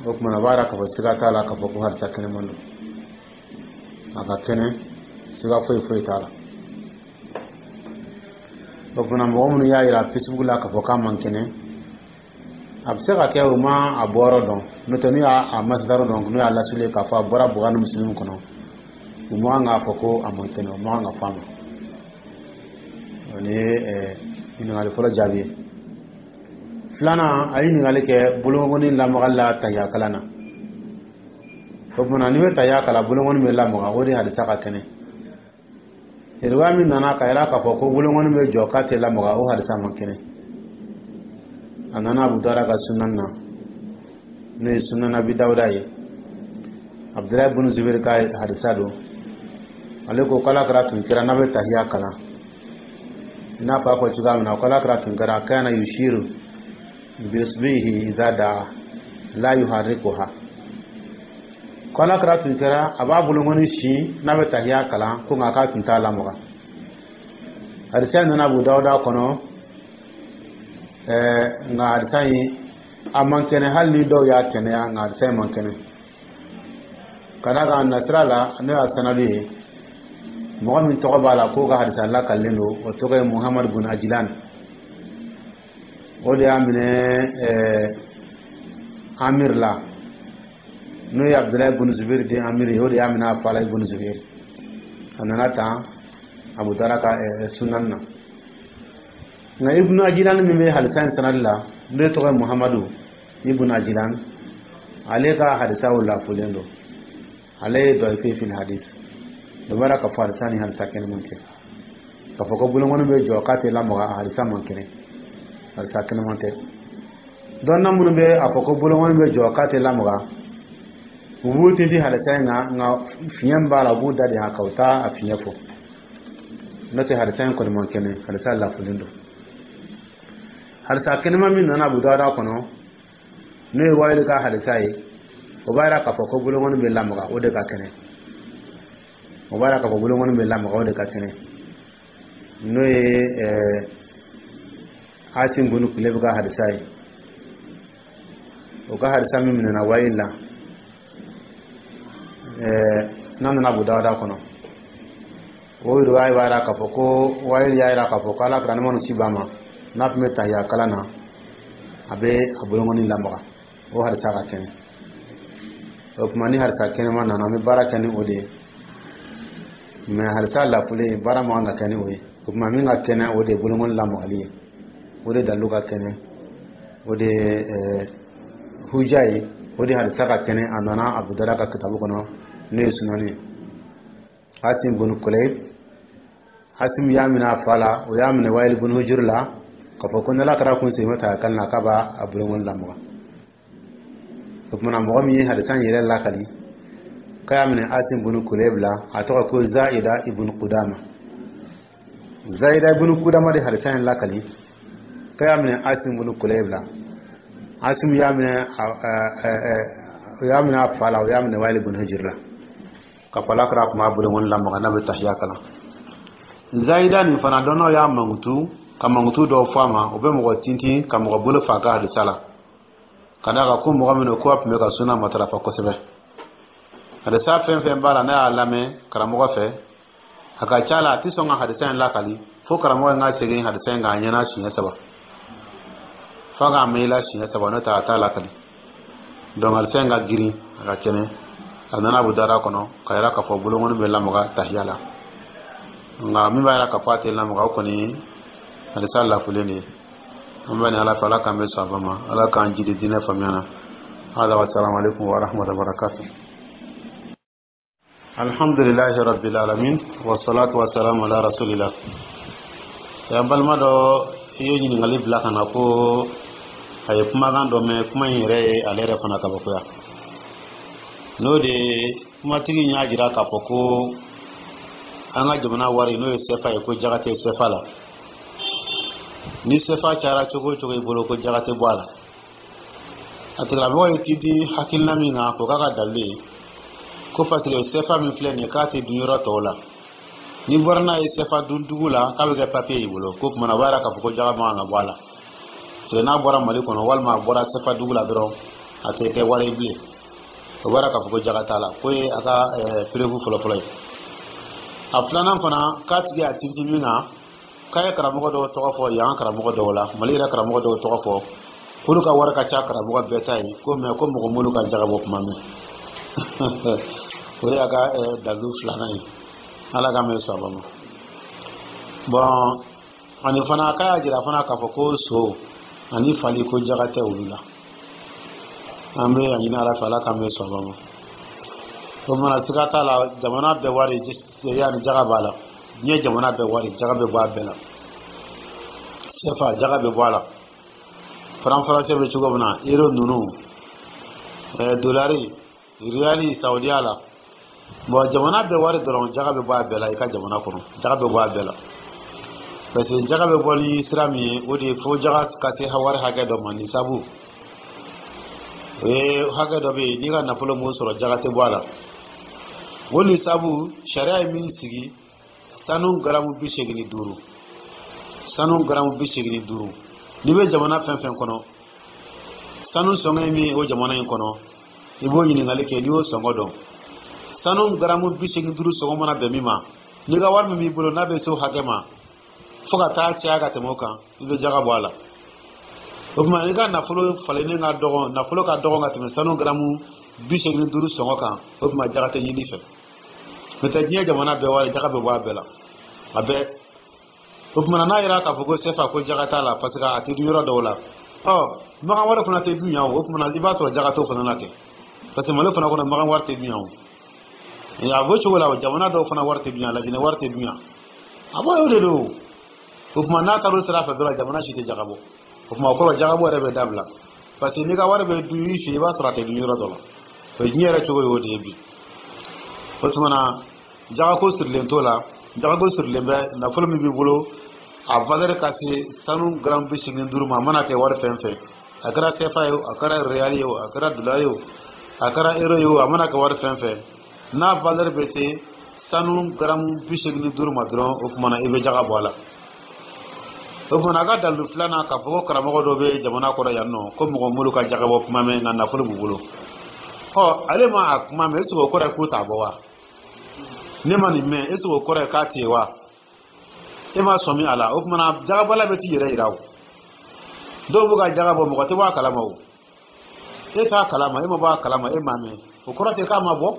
O tuma na, a b'a yira k'a fɔ siga t'a la k'a fɔ ko hadisa kɛnɛman don. A ka kɛnɛ, siga foyi foyi t'a la. O tuma na, mɔgɔ minnu y'a yira Facebook la k'a fɔ k'a man kɛnɛ, a bɛ se ka kɛ u ma a bɔyɔrɔ dɔn. N'o tɛ, n'u y'a a masidaru dɔn, n'u y'a lasuli k'a fɔ a bɔra Buhari ni Musilimu kɔnɔ, u man kan k'a fɔ ko a man kɛnɛ, u man kan ka fɔ a ma. O ni ye ɲininkali fɔlɔ jaabi ye. Filanan, a ye ɲininkali kɛ bolokɔni lamagali la tahiya kalan na. O tuma na, n'i bɛ tahiya kalan, bolokɔni bɛ lamaga, o de hadisa ka kɛnɛ. Riwaya min nana ka yira k'a fɔ ko bolokɔni bɛ jɔ k'a tɛ lamaga, o hadisa man kɛnɛ. A nana Abu Dawuda ka sunan na, n'o ye Sunan Abi Dawuda ye, Abdulayi bunu Zubiri ka hadisa don. Ale ko k'Ala kira tun kɛra, n'a bɛ tahiya kalan, i n'a fɔ a fɔ cogoya min na, k'Ala kira tun kɛra kana yushiru bi-isbihi idha daa la yuharrikuha, ko Ala kira tun kɛra a b'a bolokɔni sin n'a bɛ tahiya kalan, ko nka k'a tun t'a lamaga. Hadisa nana Abu Dawuda kɔnɔ, nka hadisa in a man kɛnɛ. Hali ni dɔw y'a kɛnɛya, nka hadisa in man kɛnɛ, ka d'a kan nasira la, n'o y'a sanadu ye, mɔgɔ min tɔgɔ b'a la k'o ka hadisa lakalilen don, o tɔgɔ ye Muhamadu bun Ajilan. O de y'a minɛ Amir la, n'o ye Abdulayi bun Zubiri den Amir ye. O de y'a minɛ a fa la, ibn Zubiri. A nana tan Abu Dawuda ka sunan na. Nka Ibnu Ajilan min bɛ hadisa in sanadi la, n'o tɔgɔ ye Muhamadu Ibnu Ajilan, ale ka hadisaw lafolen don. Ale ye dɔifi fil hadis. O b'a k'a fɔ hadisa ni hadisa kɛnɛman tɛ. K'a fɔ ko bolokɔni bɛ jɔ k'a tɛ lamaga, a hadisa man kɛnɛ, hadisa kɛnɛman tɛ. Dɔnna minnu bɛ a fɔ ko bolokɔni bɛ jɔ k'a tɛ lamaga, u b'u tintin hadisa in kan, nka fiɲɛ b'a la, u b'u da de a kan, u t'a a fiɲɛ fɔ. N'o tɛ, hadisa in kɔni man kɛnɛ, hadisa lafolen don. Hadisa kɛnɛma min nana Abu Dawuda kɔnɔ, n'o ye Wayili ka hadisa ye, o b'a yira k'a fɔ ko bolokɔni bɛ lamaga, o de ka kɛnɛ. O b'a yira k'a fɔ bolokɔni bɛ lamaga, o de ka kɛnɛ, n'o ye Asim bunu Kulebi ka hadisa ye. O ka hadisa min minɛna Wayili la, n'a nana Abu Dawuda kɔnɔ, o riwaya b'a yira k'a fɔ ko Wayili y'a yira k'a fɔ ko Ala kira, nɛɛma ni kisi b'a ma, n'a tun bɛ tahiya kalan na, a bɛ a bolokɔni lamaga. O hadisa ka kɛnɛ. O tuma, ni hadisa kɛnɛma nana, an bɛ baara kɛ ni o de ye. Mɛ hadisa lafulen, baara man kan ka kɛ ni o ye. O tuma, min ka kɛnɛ, o de ye bolokɔni lamagali ye. O de dalilu ka kɛnɛ, o de ye huja ye, o de hadisa ka kɛnɛ. A nana Abu Dawuda ka kitabu kɔnɔ, n'o ye sunani ye. Asim bunu Kulayb, Asim y'a minɛ a fa la, o y'a minɛ Wayili bunu Hujuru la, k'a fɔ ko n'Ala kɛra kun segin ta kan na, k'a b'a a bolokɔni lamaga. O tuma na, mɔgɔ min ye hadisa in yɛrɛ lakali k'a y'a minɛ Asim bunu Kulayb la, a tɔgɔ ko Zaida ibn Qudama. Zaida ibn Qudama de hadisa in lakali k'a y'a minɛ Asim bunu Kulayb la. Asim y'a minɛ, o y'a minɛ a fa la, o y'a minɛ Wayili bunu Hujuru la, k'a fɔ Ala kɛra tun b'a bolokɔni lamaga n'a bɛ tahiya kalan. Zaida nin fana, dɔnnaw y'a mankutu ka mankutu dɔw fɔ a ma. O bɛ mɔgɔ tintin ka mɔgɔ bolo fa ka hadisa la, ka d'a kan ko mɔgɔ min don, ko a tun bɛ ka suna matarafa kosɛbɛ. Hadisa fɛn fɛn b'a la, n'a y'a lamɛn karamɔgɔ fɛ, a ka ca la, a tɛ sɔn ka hadisa in lakali fo karamɔgɔ in ka segin hadisa in kan a ɲɛna siɲɛ saba, f'a k'a mɛn i la siɲɛ saba. N'o tɛ, a t'a lakali. Donc hadisa in ka girin, a ka kɛnɛ. A nana Abu Dawuda kɔnɔ ka yira k'a fɔ bolokɔni bɛ lamaga tahiya la. Nka min b'a yira k'a fɔ a tɛ lamaga, o kɔni hadisa lafulen de ye. An bɛ ni Ala fɛ, Ala k'an bɛ sɔn a ma, Ala k'an jidi diinɛ faamuya na. Hada wa salamu alaikum wa rahmatullahi wa barakatuh. Alhamdulillahi rabbil alamin, wa salatu wa salamu ala rasulillah. Ya balima dɔ i ye ɲininkali bila ka na ko a ye kumakan dɔ mɛn. Kuma in yɛrɛ ye ale yɛrɛ fana kabakoya. N'o de ye, kumatigi y'a jira k'a fɔ ko an ka jamana wari, n'o ye sefa ye, ko jaga tɛ sefa la. Ni sefa cayara cogo o cogo i bolo, ko jaga tɛ bɔ a la. A tigilamɔgɔ ye tintin hakilina min kan k'o k'a ka dalilu ye, ko parce que sefa min filɛ nin ye, k'a tɛ dun yɔrɔ tɔw la, ni bɔra n'a ye sefa dun dugu la, k'a bɛ kɛ papiye y'i bolo, ko kumana o b'a yira k'a fɔ ko jaga man kan ka bɔ a la, parce que n'a bɔra Mali kɔnɔ walima a bɔra sefa dugu la dɔrɔn. A tɛ kɛ wari ye bilen. O b'a k'a fɔ ko jaga t'a la. K'o ye a ka preuve fɔlɔfɔlɔ ye. A filanan fana, k'a tigi a tintin min kan, k'a ye karamɔgɔ dɔw tɔgɔ fɔ yan, karamɔgɔ dɔw la, Mali yɛrɛ karamɔgɔ dɔw tɔgɔ fɔ, k'olu ka wari ka ca karamɔgɔ bɛɛ ta ye, ko mɛ ko mɔgɔ m'olu ka jaga bɔ kuma mɛn. O de y'a ka dalilu filanan ye. Ala ka mɛn saba ma. Bɔn, ani fana k'a y'a jira fana k'a fɔ ko so ani fali, ko jaga tɛ olu la. An bɛ a ɲini Ala fɛ, Ala k'an bɛ sɔn ma. O mana, siga t'a la, jamana bɛɛ wari yanni jaga b'a la. Diɲɛ jamana bɛɛ wari, jaga bɛ bɔ a bɛɛ la. CFA, jaga bɛ bɔ a la. Franc français bɛ cogo min na, euro ninnu, dolari, riyali Saudiya la. Bon, jamana bɛɛ wari dɔrɔn, jaga bɛ bɔ a bɛɛ la. I ka jamana kɔnɔ, jaga bɛ bɔ a bɛɛ la, parce que jaga bɛ bɔ ni sira min ye, o de ye fo jaga ka se wari hakɛ dɔ ma. Ni sabu o ye hakɛ dɔ bɛ yen, n'i ka nafolo m'o sɔrɔ, jaga tɛ bɔ a la. O ni sabu, sariya ye min sigi, sanu garamu 85, sanu garamu 85. N'i bɛ jamana fɛn fɛn kɔnɔ, sanu sɔngɔ ye min ye o jamana in kɔnɔ, i b'o ɲininkali kɛ. N'i y'o sɔngɔ dɔn, sanu garamu 85 sɔngɔ mana bɛn min ma, n'i ka wari min b'i bolo, n'a bɛ se o hakɛ ma, fo ka taa caya ka tɛmɛ o kan, i bɛ jaga bɔ a la. O tuma, i ka nafolo falennen ka dɔgɔn, nafolo ka dɔgɔn ka tɛmɛ sanu garamu 85 sɔngɔ kan, o tuma jaga tɛ ɲini fɛ. N'o tɛ, diɲɛ jamana bɛɛ wari, jaga bɛ bɔ a bɛɛ la, a bɛɛ. O tuma, n'a yɛrɛ k'a fɔ ko CFA, ko jaga t'a la, parce que a tɛ dun yɔrɔ dɔw la, ɔ magan wari fana tɛ dun yan. O tuma, i b'a sɔrɔ jaga t'o fana la kɛ, parce que Mali fana kɔnɔ, magan wari tɛ dun yan. O a b'o cogo la, jamana dɔw fana wari tɛ dun yan, Laginɛ wari tɛ dun yan. A b'o de don. O tuma, n'a taara o sira fɛ dɔrɔn, jamana si tɛ jaga bɔ. O tuma, o kɔrɔ, jagabɔ yɛrɛ bɛ dabila, parce que n'i ka wari bɛ dun i fɛ, i b'a sɔrɔ a tɛ dun yɔrɔ dɔ la. O ye diɲɛ yɛrɛ cogo ye, o de ye bi. O tuma na, jagako sirilen t'o la. Jagako sirilen bɛ nafolo min b'i bolo, a valeur ka se sanu gramme 85 ma. A mana kɛ wari fɛn fɛn, a kɛra CFA ye o, a kɛra réal ye o, a kɛra dollar ye o, a kɛra euro ye o, a mana kɛ wari fɛn fɛn, n'a valeur bɛ se sanu gramme 85 ma dɔrɔn, o tuma na i bɛ jaga bɔ a la. O tuma na, a ka dalilu filanan, k'a fɔ ko karamɔgɔ dɔ bɛ jamana kɔrɔ yan nɔ, ko mɔgɔ m'olu ka jaga bɔ kuma mɛn, nka nafolo b'u bolo. Ɔ, ale ma a kuma mɛn, est ce que o kɔrɔ ye k'u t'a bɔ wa? Ne ma nin mɛn, est ce que o kɔrɔ ye k'a tɛ yen wa? E ma sɔmi a la. O tuma na, jagabɔla bɛ t'i yɛrɛ yira. O dɔw b'u ka jaga bɔ, mɔgɔ tɛ bɔ a kalama. O e t'a kalama, e ma bɔ a kalama, e m'a mɛn, o kɔrɔ tɛ k'a ma bɔ.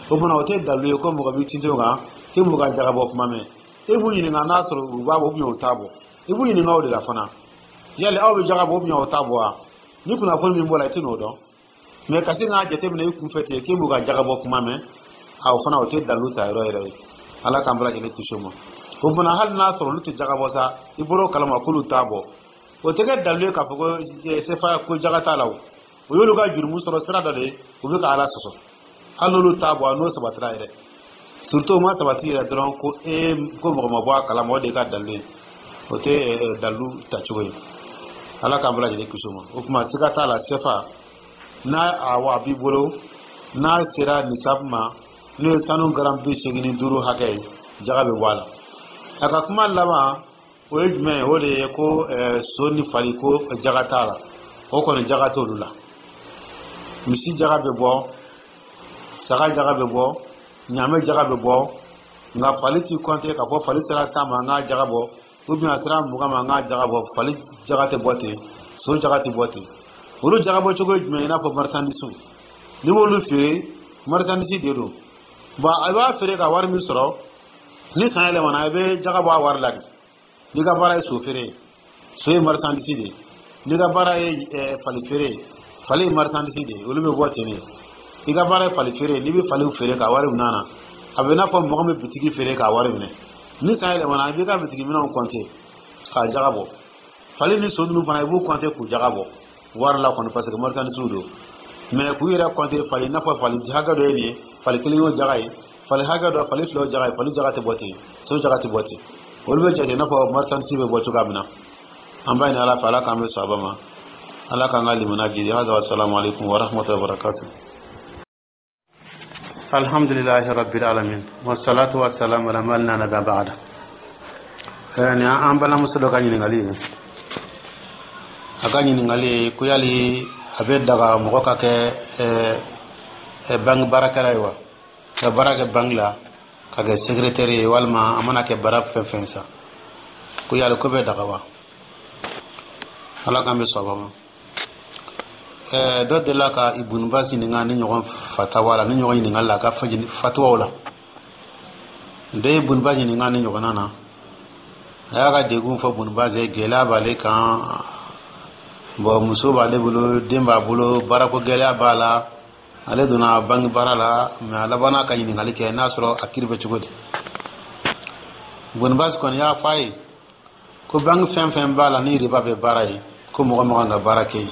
O tuma, o tɛ dalilu ye ko mɔgɔ b'i tintin o kan k'e b'u ka jaga bɔ kuma mɛn. E b'u ɲininka n'a sɔrɔ u b'a bɔ u t'a bɔ. I b'u ɲininka o de la fana: yali aw bɛ jaga bɔ ou aw t'a bɔ wa? Ni kunnafoni min bɔra, i tɛ n'o dɔn. Mɛ ka se k'a jateminɛ i kunfɛ ten k'e b'u ka jaga bɔ kuma mɛn, a o fana, o tɛ dalilu ta yɔrɔ yɛrɛ ye. Ala k'an bɛɛ lajɛlen kisi o ma. O fana, hali n'a sɔrɔ olu tɛ jaga bɔ sa, i bɔr'o kalama k'olu t'a bɔ, o tɛ kɛ dalilu ye k'a fɔ ko CFA, ko jaga t'a la. O o y'olu ka jurumu sɔrɔ sira dɔ de ye, u bɛ ka Ala sɔsɔ. Hali n'olu t'a bɔ, a n'o sabatira yɛrɛ, surtout o ma sabati yɛrɛ dɔrɔn, ko e ko mɔgɔ ma bɔ a kalama, o de ka dalilu ye. O tɛ dalilu tacogo ye. Ala k'an bɛɛ lajɛlen kisi o ma. O tuma, siga t'a la, CFA n'a a b'i bolo, n'a sera nisabu ma, n'o ye sanu garam 85 hakɛ ye, jaga bɛ bɔ a la. A ka kuma laban, o ye jumɛn ye? O de ye ko so ni fali, ko jaga t'a la. O kɔni, jaga t'olu la. Misi jaga bɛ bɔ, saga jaga bɛ bɔ, ɲaamɛ jaga bɛ bɔ, nka fali ti kɔnte k'a fɔ fali sera 10 ma, an k'a jaga bɔ, ou bien a sera 20 ma, an k'a jaga bɔ. Fali jaga tɛ bɔ ten, so jaga tɛ bɔ ten. Olu jaga bɔ cogo ye jumɛn ye? I n'a fɔ marchandise, n'i b'olu feere, marchandise de don. Bon, a b'a feere ka wari min sɔrɔ, ni san yɛlɛmana, i bɛ jaga bɔ a wari la de. N'i ka baara ye so feere ye, so ye marchandise de ye. N'i ka baara ye fali feere ye, fali ye marchandise de ye, olu bɛ bɔ ten de. I ka baara ye fali feere ye, n'i bɛ faliw feere ka wari minɛ a na, a bɛ n'a fɔ mɔgɔ min bɛ bitigi feere k'a wari minɛ. Ni san yɛlɛmana, i b'i ka bitigi minɛnw kɔnte k'a jaga bɔ. Fali ni so ninnu fana, i b'u kɔnte k'u jaga bɔ wari la kɔni, parce que marchandise don. Mais k'u yɛrɛ kɔnte fali, i n'a fɔ fali hakɛ dɔ ye nin ye, fali kelen y'o jaga ye, fali hakɛ dɔ, fali fila y'o jaga ye, fali jaga tɛ bɔ ten, so jaga tɛ bɔ ten. Olu bɛ jate i n'a fɔ marchandise bɛ bɔ cogoya min na. An b'a ɲini Ala fɛ, Ala k'an bɛ sɔn ma, Ala k'an ka limaniya jidi. Hada, wa salamu alaikum wa rahmatullahi wa barakatuh. Alhamdulillahi rabbil alamin, wassalatu wassalamu ala man la nabiyya ba'da. Ni an balimamuso dɔ ka ɲininkali ye, a ka ɲininkali ye ko yali A bɛ daga mɔgɔ ka kɛ banque baarakɛla ye wa, ka baara kɛ banque la, ka kɛ secrétaire ye, walima a mana kɛ baara fɛn fɛn sa, ko yali ko bɛ daga wa? Ala k'an bɛ sɔn ma. Dɔ delila ka Ibun Baz ɲininka ni ɲɔgɔn fatawa la, ni ɲɔgɔn ɲininka la a ka fatuwaw la. Dɔ ye Ibun Baz ɲininka ni ɲɔgɔnna na, a y'a ka degun fɔ Ibun Baz ye, gɛlɛya b'ale kan. Bon, muso b'ale bolo, den b'a bolo, baarako gɛlɛya b'a la, ale donna banki baara la, mais a labanna ka ɲininkali kɛ n'a sɔrɔ a kiri bɛ cogo di. Ibun Baz kɔni y'a fɔ a ye ko banki fɛn fɛn b'a la ni riba bɛ baara ye, ko mɔgɔ man kan ka baara kɛ yen.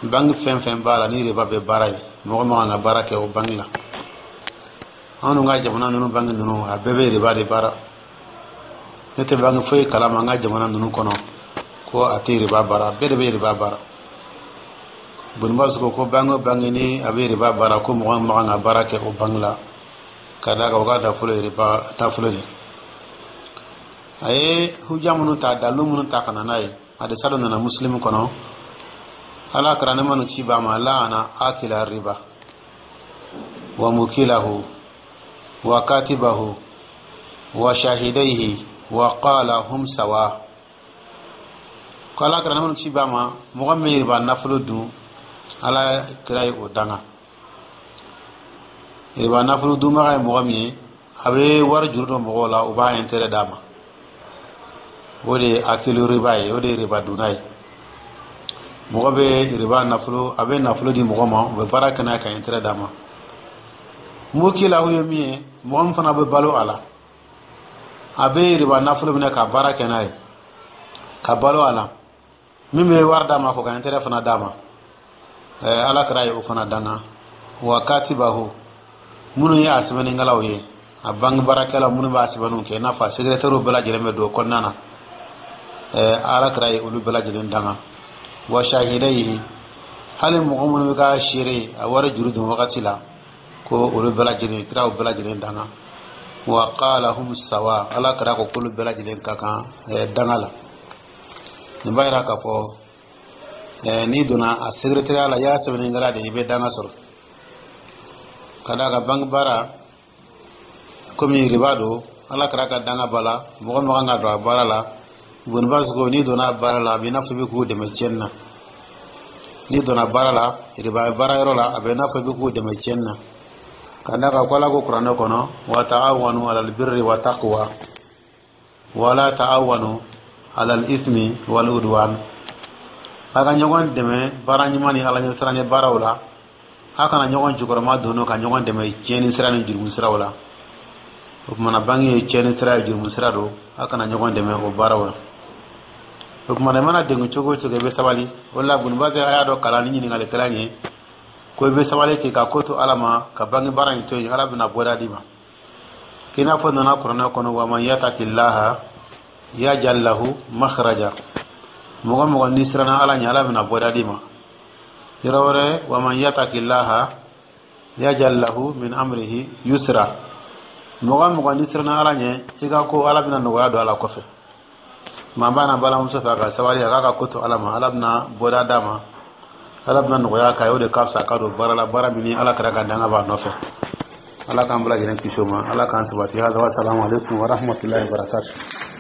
Banki fɛn fɛn b'a la ni riba bɛ baara ye, mɔgɔ man kan ka baara kɛ o banki la. Anw ka jamana ninnu, banki ninnu, a bɛɛ bɛ riba de baara. Ne tɛ banki foyi kalama an ka jamana ninnu kɔnɔ ko a tɛ riba baara, bɛɛ de bɛ riba baara. Ibun Baz ko ko banki o banki ni a bɛ riba baara, ko mɔgɔ man kan ka baara kɛ o banki la, ka d'a kan o ka nafolo ye riba nafolo de. A ye huja minnu ta, dalilu minnu ta ka na n'a ye, hadisa dɔ nana Muslim kɔnɔ, Ala kira, nɛɛma ni kisi b'a ma, لعن آكل الربا وموكله وكاتبه وشاهديه وقال هم سواء. Ko Ala kira, nɛɛma ni kisi b'a ma, mɔgɔ min bɛ riba nafolo dun, Ala kira ye o danga. Riba nafolo dunbaga ye mɔgɔ min ye, a bɛ wari juru dɔ mɔgɔw la, u b'a intérêt d'a ma, o de ye آكل الربا ye, o de ye riba dunna ye. Mɔgɔ bɛ riba nafolo, a bɛ nafolo di mɔgɔ ma, u bɛ baara kɛ n'a ye ka intérêt d'a ma. موكله ye min ye, mɔgɔ min fana bɛ balo a la, a bɛ riba nafolo minɛ ka baara kɛ n'a ye ka balo a la, min bɛ wari d'a ma ko ka intérêt fana d'a ma, Ala kira ye o fana danga. وكاتبه, minnu ye a sɛbɛnnikɛlaw ye, a banque baarakɛlaw minnu b'a sɛbɛnniw kɛ, i n'a fɔ a secrétaire bɛɛ lajɛlen bɛ don o kɔnɔna na, Ala kira ye olu bɛɛ lajɛlen danga. وشاهديه, hali mɔgɔ minnu bɛ ka seere a wari juru don wagati la, ko olu bɛɛ lajɛlen, kiraw bɛɛ lajɛlen danga. وقال هم سواء, Ala kira ko k'olu bɛɛ lajɛlen ka kan danga la. Nin b'a yira k'a fɔ n'i donna a secrétaire la, i y'a sɛbɛnnikɛla de ye, i bɛ danga sɔrɔ, ka d'a kan banque baara komi riba don, Ala kira ka danga b'a la, mɔgɔ min kan ka don a baara la. Ibun Baz ko n'i donna a baara la, a b'i n'a fɔ i bɛ k'u dɛmɛ tiɲɛni na. N'i donna baara la, riba baara yɔrɔ la, a bɛ n'a fɔ i bɛ k'u dɛmɛ tiɲɛni na, ka d'a kan ko Ala ko Kuranɛ kɔnɔ: وتعاونوا على البر والتقوى ولا تعاونوا على الإثم والعدوان. A ka ɲɔgɔn dɛmɛ baara ɲuman ni Ala ɲɛsiranɲɛ baaraw la, a kana ɲɔgɔn jukɔrɔma don ka ɲɔgɔn dɛmɛ tiɲɛni sira ni jurumu siraw la. O kumana, banque ye tiɲɛni sira ye, jurumu sira don, a kana ɲɔgɔn dɛmɛ o baaraw la. O kumana, i mana degun cogo o cogo, i bɛ sabali. O la Ibun Baz a y'a dɔn kalan ni ɲininkalikɛla ye ko i bɛ sabali k'i ka ko to Ala ma, ka banque baara in to yen, Ala bɛna bɔda d'i ma, k'i n'a fɔ nana Kuranɛ kɔnɔ: ومن يتق الله يجعل له مخرجا. Mɔgɔ mɔgɔ n'i siranna Ala ɲɛ, Ala bɛna bɔda d'i ma. Yɔrɔ wɛrɛ: ومن يتق الله يجعل له من أمره يسرا. Mɔgɔ mɔgɔ n'i siranna Ala ɲɛ, i ka ko, Ala bɛna nɔgɔya don a la kɔfɛ. Maa b'a na balimamuso fɛ, a ka sabali, a k'a ka ko to Ala ma, Ala bɛna bɔda d'a ma, Ala bɛna nɔgɔya k'a ye. O de ka fisa ka don baara la, baara min ni Ala kɛra ka danga b'a nɔfɛ. Ala k'an bɛɛ lajɛlen kisi o ma, Ala k'an sabati. Hada, wa salamu alaikum wa rahmatullahi wa barakatuh.